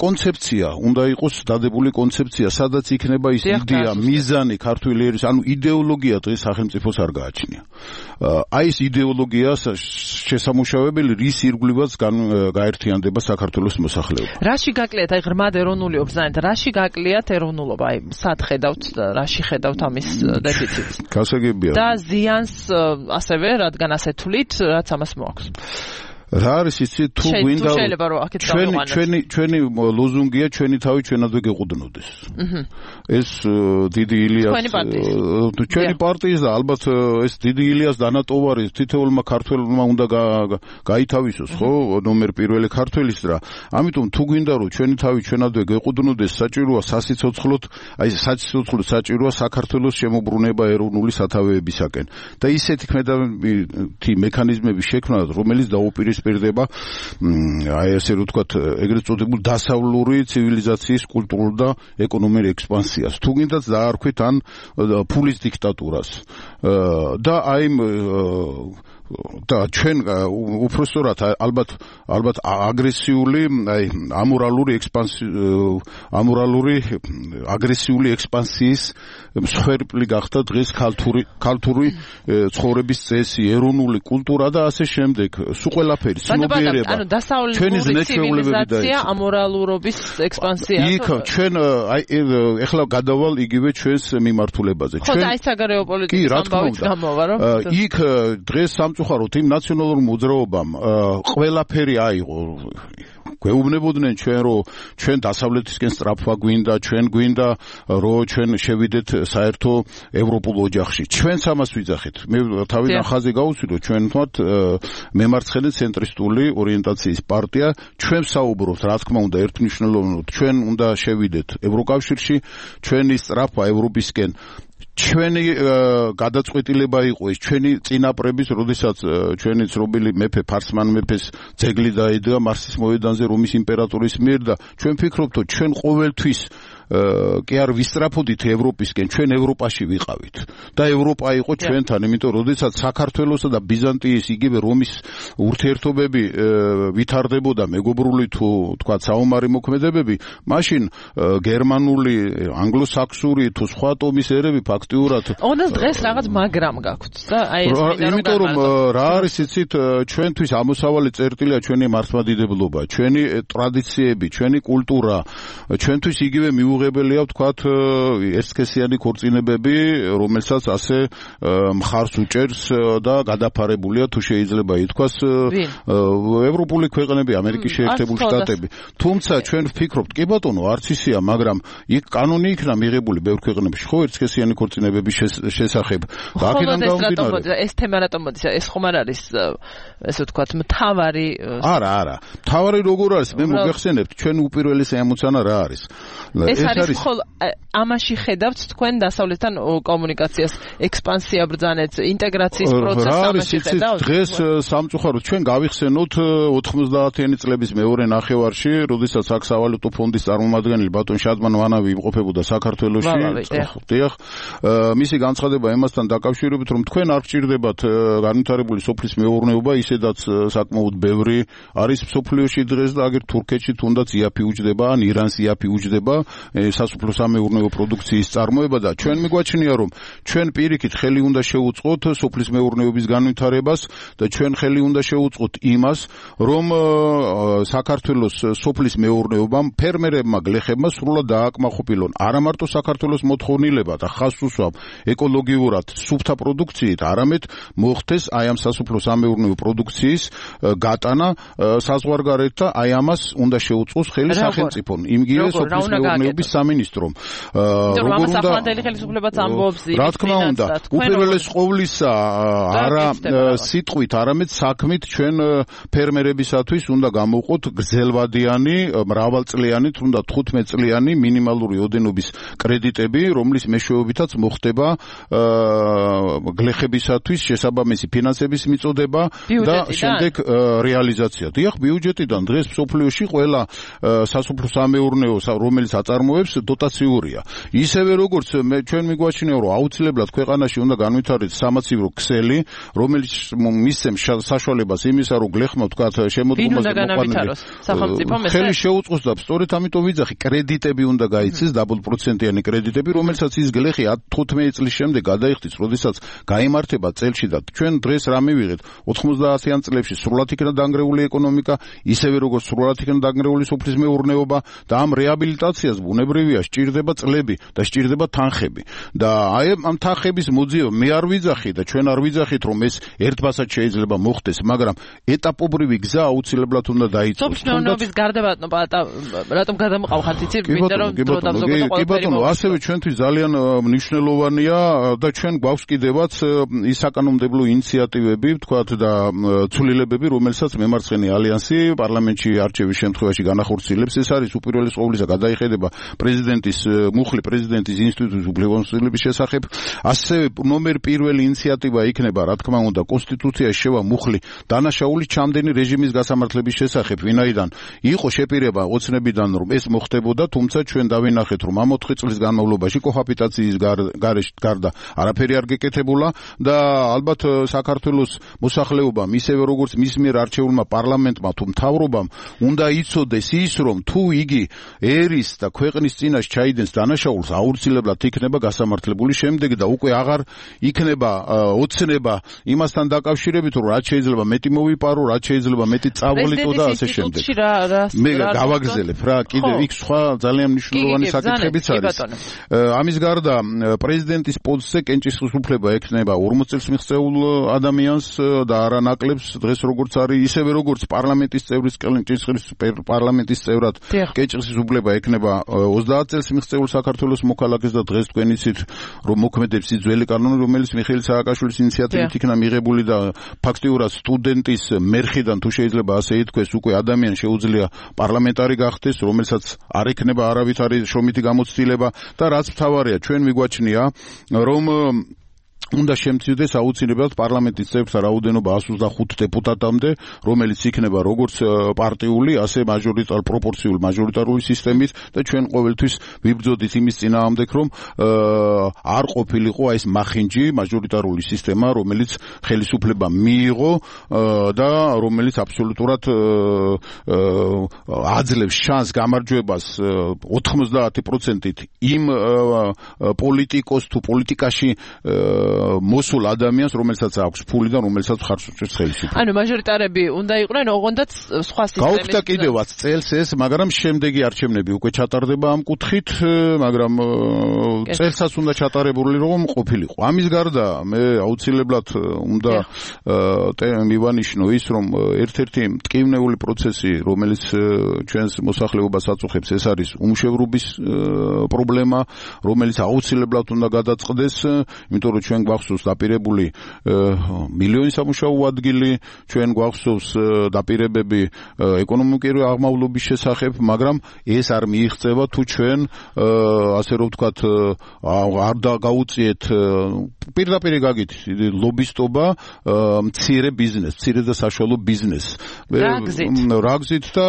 კონცეფცია, უნდა იყოს დადებული კონცეფცია, სადაც იქნება ის იდეა, მიზანი ქართული ერის, ანუ იდეოლოგია დღეს სახელმწიფოს არ გააჩნია. აი ეს იდეოლოგია შესამუშავებელი, რის ირგვლივაც გაერთიანდება საქართველოს მოსახლეობა. რაში გაკლიათ, აი ღრმად ეროვნული ობრძანეთ, რაში გაკლიათ ეროვნულობა, აი სად ხედავთ, რაში ხედავთ ამის დეფიციტს? გასაგებია. და ზიანს ასევე, რადგან ასე თვლით, რაც ამას მოაქვს. რა არის იცი თუ გვინდა ჩვენი ლოზუნგია ჩვენი თავი ჩვენადვე გეყუდნოდეს. ეს დიდი ილიას ჩვენი პარტიის და ალბათ ეს დიდი ილიას დანატოვარი თითოეულმა ქართველმა უნდა გაითავისოს ხო ნომერ პირველი ქართველის რა. ამიტომ თუ გვინდა რომ ჩვენი თავი ჩვენადვე გეყუდნოდეს საჭიროა სასიცოცხლოდ სასიცოცხლოდ საჭიროა საქართველოს შემოbrunება ეროვნული სათავეებისაკენ და ისეთი ქმედებითი მექანიზმები შექმნა რომელიც დაუპირისპირდება აი ესე რომ ვთქვათ ეგრეთ წოდებულ დასავლური ცივილიზაციის კულტურულ და ეკონომიკურ ექსპანსიას თუ გინდათ დაარქვით ან ფულის დიქტატურას და აი და ჩვენ უпростоრად ალბათ აგრესიული აი ამორალური აგრესიული ექსპანსიის მსხვერპლი გახდა დღეს ქალთური ცხოვრების წესი ეროვნული კულტურა და ასე შემდეგ სულ ყველაფერი ცნობიერება ანუ დასავლური ცივილიზაცია ამორალურობის ექსპანსია იქ ჩვენ აი ეხლა გადავალ იგივე ჩვენს მიმართულებაზე ჩვენ ხო აი საგარეო პოლიტიკის ამბავით გამოვა რომ იქ დღეს სამწუხაროდ იმ ნაციონალურ მოძრაობამ ყველაფერი აიღო გვეუბნებოდნენ ჩვენ რომ ჩვენ დასავლეთისკენ სწრაფვა გვინდა ჩვენ გვინდა რომ ჩვენ შევიდეთ საერთო ევროპულ ოჯახში ჩვენც ამას ვიძახით მე თავიდან ხაზი გავუსვი რომ ჩვენ თვათ მემარცხენე ცენტრისტული ორიენტაციის პარტია ჩვენ საუბრობთ რა თქმა უნდა ერთმნიშვნელოვნად ჩვენ უნდა შევიდეთ ევროკავშირში ჩვენი სწრაფვა ევროპისკენ ჩვენი გადაწყვეტილება იყო ის ჩვენი წინაპრების როდესაც ჩვენი ცნობილი მეფე ფარსმან მეფეს ძეგლი დაიდგა მარსის მოედანზე რომის იმპერატორის მიერ და ჩვენ ვფიქრობთ რომ ჩვენ ყოველთვის კი არ ვისწრაფოდით ევროპისკენ ჩვენ ევროპაში ვიყავით და ევროპა იყო ჩვენთან იმიტომ როდესაც საქართველოსა და ბიზანტიის იგივე რომის ურთიერთობები ვითარდებოდა მეგობრული თუ თქვა საომარი მოქმედებები მაშინ გერმანული ანგლოსაქსური თუ სხვა ტომის ერები ფაქტიურად ოდას დღეს რაღაც მაგრამ გაქვთ და აი ეს იმიტომ რომ რა არის იცით ჩვენთვის ამოსავალი წერტილია ჩვენი მართლმადიდებლობა ჩვენი ტრადიციები ჩვენი კულტურა ჩვენთვის იგივე მიუღებელია ვთქვათ ერთსქესიანი ქორწინებები რომელსაც ასე მხარს უჭერს და გადაფარებულია თუ შეიძლება ითქვას ევროპული ქვეყნები ამერიკის შეერთებული შტატები თუმცა ჩვენ ვფიქრობთ კი ბატონო არც ისეა მაგრამ იქ კანონი იქნა მიღებული ბევრ ქვეყნებში ხო ერთსქესიანი ქორწინებების შესახებ და აქედან გამომდინარე ეს თემა რატომ მოდის ეს ხომ არ არის ესე ვთქვათ მთავარი არა მთავარი როგორ არის მე მოგეხსენებთ ჩვენ უპირველესი ემოცია რა არის ეს არის ამაში ხედავთ თქვენ დასავლეთთან კომუნიკაციას ექსპანსია ბრძანეთ ინტეგრაციის პროცესს ამაში ხედავთ დღეს სამწუხაროდ ჩვენ გავიხსენოთ 90-იანი წლების მეორე ნახევარში როდესაც აქ სავალუტო ფონდის წარმომადგენელი ბატონ შადმან ვანავი იმყოფებოდა საქართველოში დიახ მისი განცხადება იმასთან დაკავშირებით რომ თქვენ არ გჭირდებათ განვითარებული სოფლის მეურნეობა ისედაც საკმაოდ ბევრი არის სოფლიოში დღეს და აგერ თურქეთში თუნდაც იაფი უჯდება ან ირანს იაფი უჯდება სასოფლო-სამეურნეო პროდუქციის წარმოება და ჩვენ მიგვაჩნია რომ ჩვენ პირიქით ხელი უნდა შევუწყოთ სოფლის მეურნეობის განვითარებას და ჩვენ ხელი უნდა შევუწყოთ იმას რომ საქართველოს სოფლის მეურნეობამ ფერმერებმა გლეხებმა სრულად დააკმაყოფილონ არა მარტო საქართველოს მოთხოვნილება და ხაზს უსვამ ეკოლოგიურად სუფთა პროდუქციით არამედ მოხდეს აი ამ სასოფლო-სამეურნეო პროდუქციის გატანა საზღვარგარეთ და აი ამას უნდა შეუწყოს ხელი სახელმწიფომ იმგივე სოფლის მეურნეობის სამინისტრომ როგორ უნდა საფრანგელი ხელისუფლებაც ამბობს რა თქმა უნდა უპირველეს ყოვლისა არა სიტყვით არამედ საქმით ჩვენ ფერმერებისათვის უნდა გამოვყოთ გრძელვადიანი მრავალწლიანი თუნდა 15 წლიანი მინიმალური ოდენობის კრედიტები რომლის მეშვეობითაც მოხდება გლეხებისათვის შესაბამისი ფინანსების მიწოდება და შემდეგ რეალიზაცია დიახ ბიუჯეტიდან დღეს მსოფლიოში ყველა სასოფლო-სამეურნეო რომელიც აწარმოებს დოტაციურია ისევე როგორც ჩვენ მიგვაჩნია რომ აუცილებლად ქვეყანაში უნდა განვითარდეს სამაცივრო ქსელი რომელიც მისცემს საშუალებას იმისა რომ გლეხმა ვთქვათ შემოდგომაზე მოყვანილი ხელი შეუწყოს და სწორედ ამიტომ ვიძახი კრედიტები უნდა გაიცეს დაბლპროცენტიანი კრედიტები რომელსაც ის გლეხი 15 წლის შემდეგ გადაიხდის როდესაც გაიმართება წელში და ჩვენ დღეს რა მივიღეთ 90-იან წლებში სრულად იქნა დანგრეული ეკონომიკა ისევე როგორც სრულად იქნა დანგრეული სოფლის მეურნეობა და ამ რეაბილიტაციას ბუნებრივია ბუნებრივია, სჭირდება წლები და სჭირდება თანხები. და აი ამ თანხების მოძიება მე არ ვიძახი და ჩვენ არ ვიძახით, რომ ეს ერთბასად შეიძლება მოხდეს, მაგრამ ეტაპობრივი გზა აუცილებლად უნდა დაიწყოს. სოფლმეურნეობის გარდა რატომ გადამყავხართ იცი? მინდა რომ დრო დამზოგადო კი ბატონო, ასევე ჩვენთვის ძალიან მნიშვნელოვანია და ჩვენ გვაქვს კიდევაც ის საკანონმდებლო ინიციატივები, ვთქვათ და ცვლილებები, რომელსაც მემარცხენე ალიანსი პარლამენტში არჩევის შემთხვევაში განახორციელებს. ეს არის უპირველეს ყოვლისა გადაიხედება პრეზიდენტის მუხლი პრეზიდენტის ინსტიტუტის უფლებამოსილების შესახებ. ასევე ნომერ პირველი ინიციატივა იქნება, რა თქმა უნდა, კონსტიტუციაში შევა მუხლი დანაშაულის ჩამდენი რეჟიმის გასამართლების შესახებ, ვინაიდან იყო შეპირება ოცნებიდან, რომ ეს მოხდებოდა, თუმცა ჩვენ დავინახეთ, რომ ამ 4 წლის განმავლობაში კოჰაბიტაციის გარდა არაფერი არ გეკეთებულა და ალბათ საქართველოს მოსახლეობამ, ისევე როგორც მის მიერ არჩეულმა პარლამენტმა თუ მთავრობამ უნდა იცოდეს ის, რომ თუ იგი ერის და ქვეყნის წინაშე ჩაიდენს დანაშაულს, აუცილებლად იქნება გასამართლებული შემდეგ და უკვე აღარ იქნება ოცნება იმასთან დაკავშირებით, რომ რაც შეიძლება მეტი მოვიპარო, რაც შეიძლება მეტი წავლიტო და ასე შემდეგ. მე გავაგზელებ რა, კიდევ იქ სხვა ძალიან მნიშვნელოვანი საკითხებიც არის. ამის გარდა პრეზიდენტის პოსტზე კენჭისყრის უფლება ექნება 40 წელს მიღწეულ ადამიანს და არა ნაკლებს დღეს როგორც არის, ისევე როგორც პარლამენტის წევრის კენჭისყრის პარლამენტის წევრად კენჭისყრის უფლება ექნება 30 წელს მიღწეულ საქართველოს მოქალაქეს და დღეს თქვენ იცით, რომ მოქმედებს ის ძველი კანონი, რომელიც მიხეილ სააკაშვილის ინიციატივით იქნა მიღებული და ფაქტიურად სტუდენტის მერხიდან თუ შეიძლება ასე ითქვეს, უკვე ადამიანი შეუძლია პარლამენტარი გახდეს, რომელსაც არ ექნება არავითარი შრომითი გამოცდილება და რაც მთავარია, ჩვენ მიგვაჩნია, რომ უნდა შემცირდეს აუცილებლად პარლამენტის წევრთა რაოდენობა 125 დეპუტატამდე, რომელიც იქნება როგორც პარტიული, ასე პროპორციულ მაჟორიტარული სისტემით და ჩვენ ყოველთვის ვიბრძოდით იმის წინააღმდეგ, რომ არ ყოფილიყო ეს მახინჯი მაჟორიტარული სისტემა, რომელიც ხელისუფლება მიიღო და რომელიც აბსოლუტურად აძლევს შანსს გამარჯვებას 90%-ით იმ პოლიტიკოს თუ პოლიტიკაში მოსულ ადამიანს, რომელსაც აქვს ფული და რომელსაც ხარს უჭერს ხელისუფლება. ანუ მაჟორიტარები უნდა იყვნენ, ოღონდაც სხვა სისტემის. გაუქმდა კიდევაც წელს ეს, მაგრამ შემდეგი არჩევნები უკვე ჩატარდება ამ კუთხით, მაგრამ წელსაც უნდა ჩატარებული რომ ყოფილიყო. ამის გარდა მე აუცილებლად უნდა მივანიშნო ის, რომ ერთ-ერთი მტკივნეული პროცესი, რომელიც ჩვენს მოსახლეობას აწუხებს, ეს არის უმშევრობის პრობლემა, რომელიც აუცილებლად უნდა გადაწყდეს, იმიტომ რომ ჩვენ გვახსოვს დაპირებული მილიონი სამუშაო ადგილი, ჩვენ გვახსოვს დაპირებები ეკონომიკური აღმავლობის შესახებ, მაგრამ ეს არ მიიღწევა თუ ჩვენ ასე რომ ვთქვათ არ გაუწიეთ პირდაპირ გაგით ლობისტობა მცირე ბიზნეს, მცირე და საშუალო ბიზნეს. რაგზით და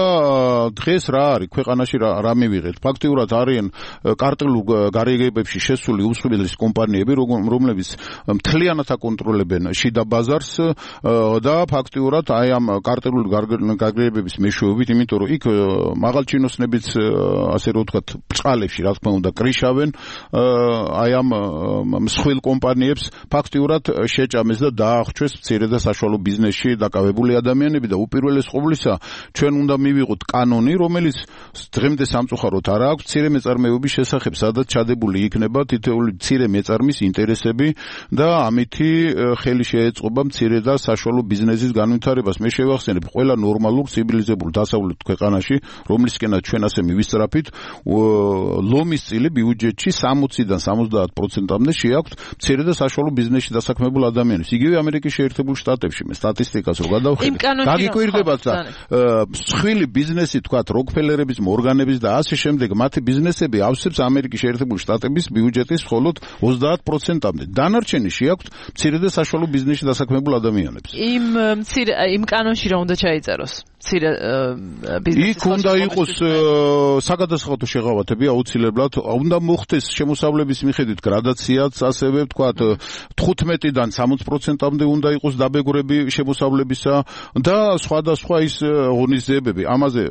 დღეს რა არის ქვეყანაში რა მივიღეთ. ფაქტიურად არიან კარტელულ გარიგებებში შესული უმსხვილესი კომპანიები, რომლებიც მთლიანად აკონტროლებენ შიდა ბაზარს და ფაქტიურად აი ამ კარტელული გარიგებების მეშვეობით, იმიტომ რომ იქ მაღალჩინოსნებიც ასე რომ ვთქვათ ბწყალებში რა თქმა უნდა კრიშავენ აი ამ მსხვილ კომპანიებს, ფაქტიურად შეჭამეს და დაახვჩეს მცირე და საშუალო ბიზნესში დაკავებული ადამიანები და უპირველეს ყოვლისა ჩვენ უნდა მივიღოთ კანონი, რომელიც დღემდე სამწუხაროდ არ აქვს მცირე მეწარმეობის შესახებ, სადაც ჩადებული იქნება თითოეული მცირე მეწარმის ინტერესები და ამითი ხელი შეეწყობა მცირე და საშუალო ბიზნესის განვითარებას. მე შევახსენებ, ყველა ნორმალურ ცივილიზებულ დასავლეთ ქვეყანაში, რომლისკენაც ჩვენ ასე მივისწრაფით, ლომის წილი ბიუჯეტში 60-დან 70%-მდე შეაქვთ მცირე და საშუალო ბიზნესში დასაქმებულ ადამიანებს. იგივე ამერიკის შეერთებულ შტატებში მე სტატისტიკას რო გადავხედე, გაგიკვირდებათ და მსხვილი ბიზნესი, თქვათ, როკფელერების, მორგანების და ასე შემდეგ, მათი ბიზნესები ავსებს ამერიკის შეერთებულ შტატების ბიუჯეტის მხოლოდ 30%-მდე. დანარჩენი შეაქვთ მცირე და საშუალო ბიზნესში დასაქმებულ ადამიანებს. იმ კანონში რა უნდა ჩაიწეროს? იქ უნდა იყოს საგადასახადო შეღავათები აუცილებლად, უნდა მოხდეს შემოსავლების მიხედვით გრადაციაც, ასევე ვთქვათ 15-დან 60%-მდე უნდა იყოს დაბეგრები შემოსავლებისა და სხვადასხვა ის ღონისძიებები. ამაზე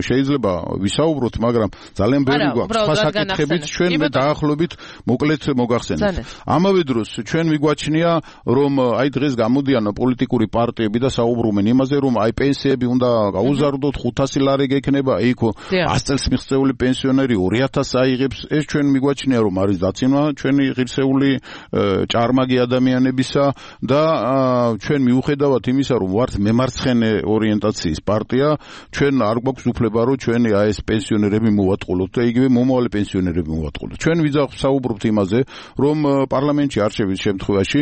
შეიძლება ვისაუბროთ, მაგრამ ძალიან ბევრი გვაქვს სხვა საკითხებით, ჩვენ დაახლოებით მოკლედ მოგახსენებთ. ამავე დროს ჩვენ მიგვაჩნია რომ აი დღეს გამოდიან პოლიტიკური პარტიები და საუბრობენ იმაზე რომ აი პენსიები უნდა გაუზარდოთ 500 ლარი გექნება იქ 100 წელს მიღწეული პენსიონერი 2000 აიღებს ეს ჩვენ მიგვაჩნია რომ არის დაცინვა ჩვენი ღირსეული ჭარმაგი ადამიანებისა და ჩვენ მიუხედავად იმისა რომ ვართ მემარცხენე ორიენტაციის პარტია ჩვენ არ გვაქვს უფლება რომ ჩვენი აი ეს პენსიონერები მოვატყულოთ და იგივე მომავალი პენსიონერები მოვატყულოთ ჩვენ ვიზავსაუბრობთ იმაზე რომ პარლამენტში არჩევის შემთხვევაში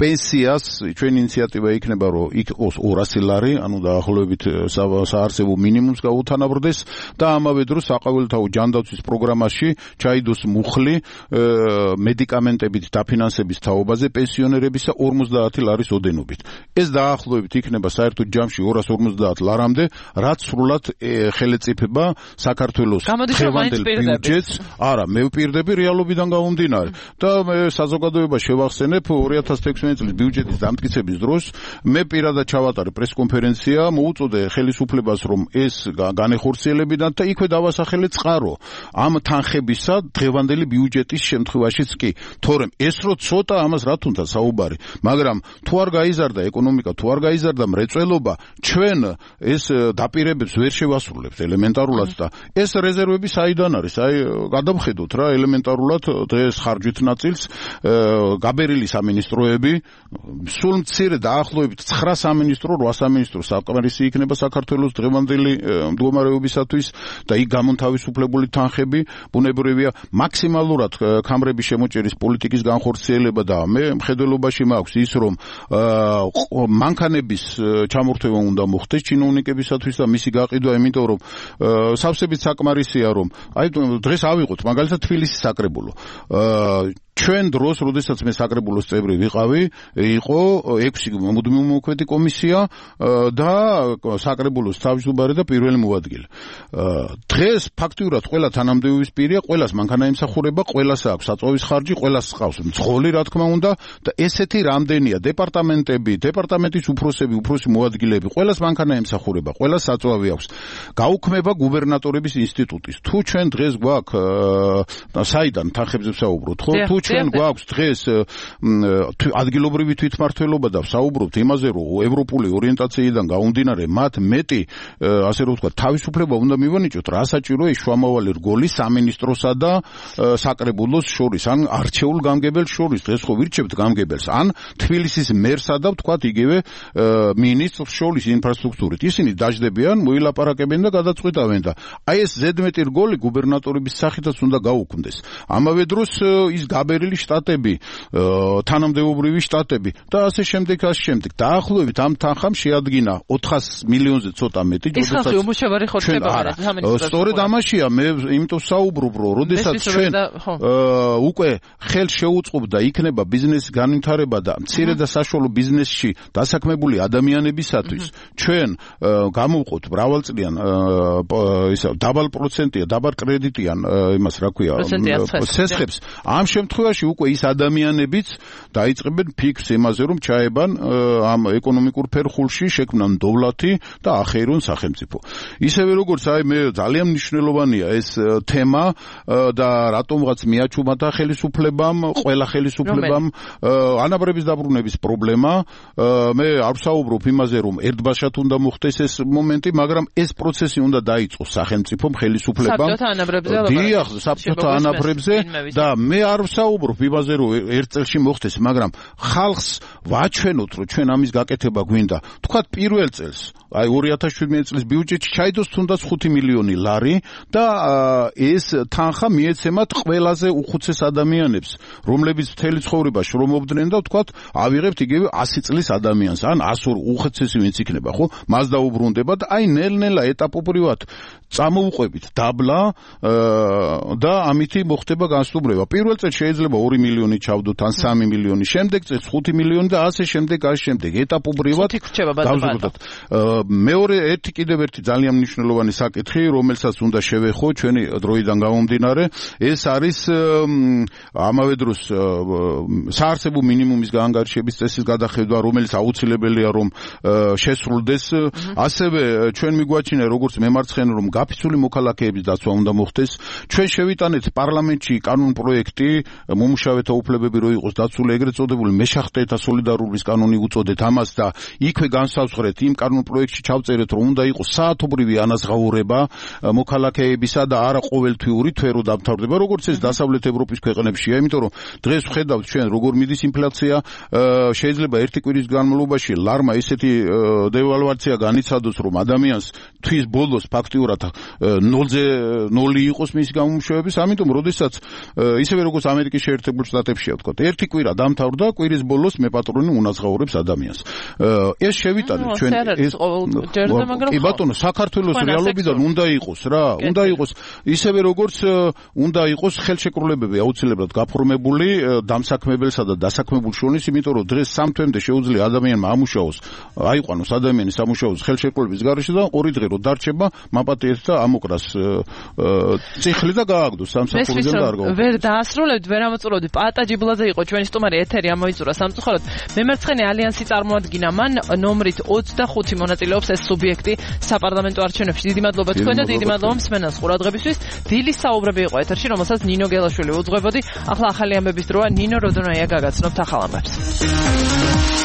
პენსიას ჩვენი ინიციატივა იქნება რომ იქ 200 ლარი ანუ დაახლოებით საარსებო მინიმუმს გაუთანაბრდეს და ამავე დროს საყოველთაო ჯანდაცვის პროგრამაში ჩაიდოს მუხლი მედიკამენტებით დაფინანსების თაობაზე პენსიონერებისა 50 ლარის ოდენობით ეს დაახლოებით იქნება საერთოდ ჯამში 250 ლარამდე რაც სრულად ხელეწიფება საქართველოს დღევანდელ ბიუჯეტს არა მე ვპირდები რეალობიდან გამომდინარე და მე საზოგადოებას შევახსენებ 2016 წლის ბიუჯეტის დამტკიცების დროს მე პირადად ჩავატარე პრესკონფერენცია მოუწოდე ხელისუფლებას რომ ეს განეხორციელებინათ და იქვე დავასახელე წყარო ამ თანხებისა დღევანდელი ბიუჯეტის შემთხვევაშიც კი თორემ ეს რო ცოტა ამას რა თუნდა საუბარი მაგრამ თუ არ გაიზარდა ეკონომიკა თუ არ გაიზარდა მრეწველობა ჩვენ ეს დაპირებებს ვერ შევასრულებთ ელემენტარულად და ეს რეზერვები საიდან არის აი გადავხედოთ რა ელემენტარულად დღეს ხარჯვით ნაწილს გაბერილი სამინისტროები სულ მცირე დაახლოებით 9 სამინისტრო 8 სამინისტრო საკმარისი იქნება საქართველოს დღევანდელი მდგომარეობისათვის და იქ გამონთავისუფლებული თანხები ბუნებრივია მაქსიმალურად ქამრების შემოჭერის პოლიტიკის განხორციელება და მე მხედველობაში მაქვს ის რომ მანქანების ჩამორთმევა უნდა მოხდეს ჩინოვნიკებისათვის და მისი გაყიდვა იმიტომ რომ სავსებით საკმარისია რომ აი დღეს ავიღოთ მაგალითად თბილისის საკრებულო ჩვენ დროს, როდესაც მე საკრებულოს წევრი ვიყავი, იყო 6 მუდმივმოქმედი კომისია და საკრებულოს თავმჯდომარე და პირველი მოადგილე. დღეს ფაქტიურად ყველა თანამდებობის პირია, ყველას მანქანა ემსახურება, ყველას აქვს საწვავის ხარჯი, ყველას ყავს მძღოლი, რა თქმა უნდა, და ესეთი რამდენია დეპარტამენტები, დეპარტამენტის უფროსი მოადგილეები, ყველას მანქანა ემსახურება, ყველას საწვავი აქვს. გაუქმება გუბერნატორების ინსტიტუტის. თუ ჩვენ დღეს გვაქვს საიდან თანხებზე ვსაუბრობთ, ხო? თუ ჩვენ გვაქვს დღეს ადგილობრივი თვითმმართველობა და ვსაუბრობთ იმაზე, რომ ევროპული ორიენტაციიდან გამომდინარე, მათ მეტი, ასე რომ ვთქვათ, თავისუფლება უნდა მივანიჭოთ, რა საჭიროა ის შუამავალი რგოლი სამინისტროსა და საკრებულოს შორის, ან არჩეულ გამგებელს შორის, დღეს ხო ვირჩევთ გამგებელს, ან თბილისის მერსა და ვთქვათ იგივე მინისტრს შორის ინფრასტრუქტურით. ისინი დაждდებიან, მოილაპარაკებენ და გადაწყვეტავენ და აი ეს ზედმეტი რგოლი გუბერნატორების სახითაც უნდა გაუქმდეს. ამავე დროს ის გაბერილი შტატები, თანამდებობრივი შტატები და ასე შემდეგ. დაახლოებით ამ თანხამ შეადგინა 400 მილიონზე ცოტა მეტი. ის ხალხი უმუშევარი ხორცება არა. სწორედ ამაშია მე იმიტომ საუბრობ, რომ როდესაც ჩვენ უკვე ხელ შეუწყობდა იქნება ბიზნესის განვითარება და მცირე და საშუალო ბიზნესში დასაქმებული ადამიანებისათვის ჩვენ გამოვყოთ მრავალწლიან დაბალ პროცენტია, დაბალ კრედიტიან იმას რა ქვია, ცესხებს. ამ შემთხვევაში უკვე ის ადამიანებიც დაიწყებენ ფიქრს იმაზე, რომ ჩაებან ამ ეკონომიკურ ფერხულში, შექმნან დოვლათი და ახეირონ სახელმწიფო. ისევე როგორც აი მე ძალიან მნიშვნელოვანია ეს თემა და რატომღაც მიაჩუმათა ხელისუფლებამ, ყველა ხელისუფლებამ ანაბრების დაბრუნების პრობლემა. მე არ ვსაუბრობ იმაზე, რომ ერთბაშად უნდა მოხდეს ეს მომენტი, მაგრამ ეს პროცესი უნდა დაიწყოს სახელმწიფომ, ხელისუფლებამ. დიახ, საბჭოთა ანაბრებზე და მე არ ვსაუბრობ იმაზე, რომ ერთ წელში მოხდეს, მაგრამ ხალხს ვაჩვენოთ, რომ ჩვენ ამის გაკეთება გვინდა. თქვათ პირველ წელს, აი 2017 წლის ბიუჯეტში ჩაიდოს თუნდაც 5 მილიონი ლარი და ეს თანხა მიეცემათ ყველაზე უხუცეს ადამიანებს, რომლებიც მთელი ცხოვრება შრომობდნენ და თქვათ ავიღებთ იგივე 100 წლის ადამიანს, ან 102 უხუცესი ვინც იქნება, ხო? მას დაუბრუნდება და აი ნელ-ნელა ეტაპობრივად წამოუყვებით დაბლა და ამითი მოხდება განსტუბრება. პირველ წელს შეიძლება 2 მილიონი ჩავდოთ ან 3 მილიონი, შემდეგ წელს 5 მილიონი და ასე შემდეგ. ეტაპობრივად დავზრდოთ. მეორე კიდევ ერთი ძალიან მნიშვნელოვანი საკითხი, რომელსაც უნდა შევეხო ჩვენი დროიდან გამომდინარე, ეს არის ამავე დროს საარსებო მინიმუმის გაანგარიშების წესის გადახედვა, რომელიც აუცილებელია რომ შესრულდეს. ასევე ჩვენ მიგვაჩნია როგორც მემარცხენე რომ გაფიცული მოქალაქეების დაცვა უნდა მოხდეს. ჩვენ შევიტანეთ პარლამენტში კანონ პროექტი, მომუშავეთა უფლებები რო იყოს დაცული, ეგრეთ წოდებული მეშახტეთა სოლიდარობის კანონი უწოდეთ ამას და იქვე განსაზღვრეთ იმ კანონ პროექტში ჩავწერეთ რომ უნდა იყოს საათობრივი ანაზღაურება მოქალაქეებისა და არა ყოველთვიური თვერო დამთავრდება, როგორც ეს დასავლეთ ევროპის ქვეყნებშია, იმიტომ რომ დღეს ვხედავთ ჩვენ როგორ მიდის ინფლაცია, შეიძლება ერთი კვირის განმავლობაში ლარმა ესეთი დევალვაცია განიცადოს, რომ ადამიანს თვის ბოლოს ფაქტიურად 0-ზე 0 იყოს მისი გამომშვევების, ამიტომ როდესაც ისევე როგორც ამერიკის შეერთებულ შტატებშია ვთქვა, ერთი კვირა დამთავრდა, კვირის ბოლოს მე პატრონი უნაზღაურებს ადამიანს. ეს შევიტანეთ ჩვენ ეს კი ბატონო, საქართველოს რეალობიდან უნდა იყოს რა, უნდა იყოს ისევე როგორც უნდა იყოს ხელშეკრულებები აუცილებლად გაფორმებული დამსაქმებელსა და დასაქმებულ შორის, იმიტომ რომ დღეს სამ თვემდე შეუძლია ადამიანმა ამუშაოს, აიყვანოს ადამიანი სამუშაოს ხელშეკრულების გარეშე და ორი დღე რო დარჩება, მაპატიეთ და ამოკრას ციხლი და გააგდოს სამსახურიდან და არ გაუქმდეს. ვერ დაასრულებთ, ვერ ამოწურულებთ. პაატა ჯიბლაძე იყო ჩვენი სტუმარი, ეთერი ამოიწურა სამწუხაროდ. მემარცხენე ალიანსი წარმოადგინა მან ნომრით 25 მონაწილეობს ეს სუბიექტი საპარლამენტო არჩევნებში. დიდი მადლობა თქვენ და დიდი მადლობა მსმენელს ყურადღებისთვის. დილის საუბრები იყო ეთერში, რომელსაც ნინო გელაშვილი უძღვებოდი. ახლა ახალი ამბების დროა, ნინო როდონაია გაგაცნობთ ახალ ამბებს.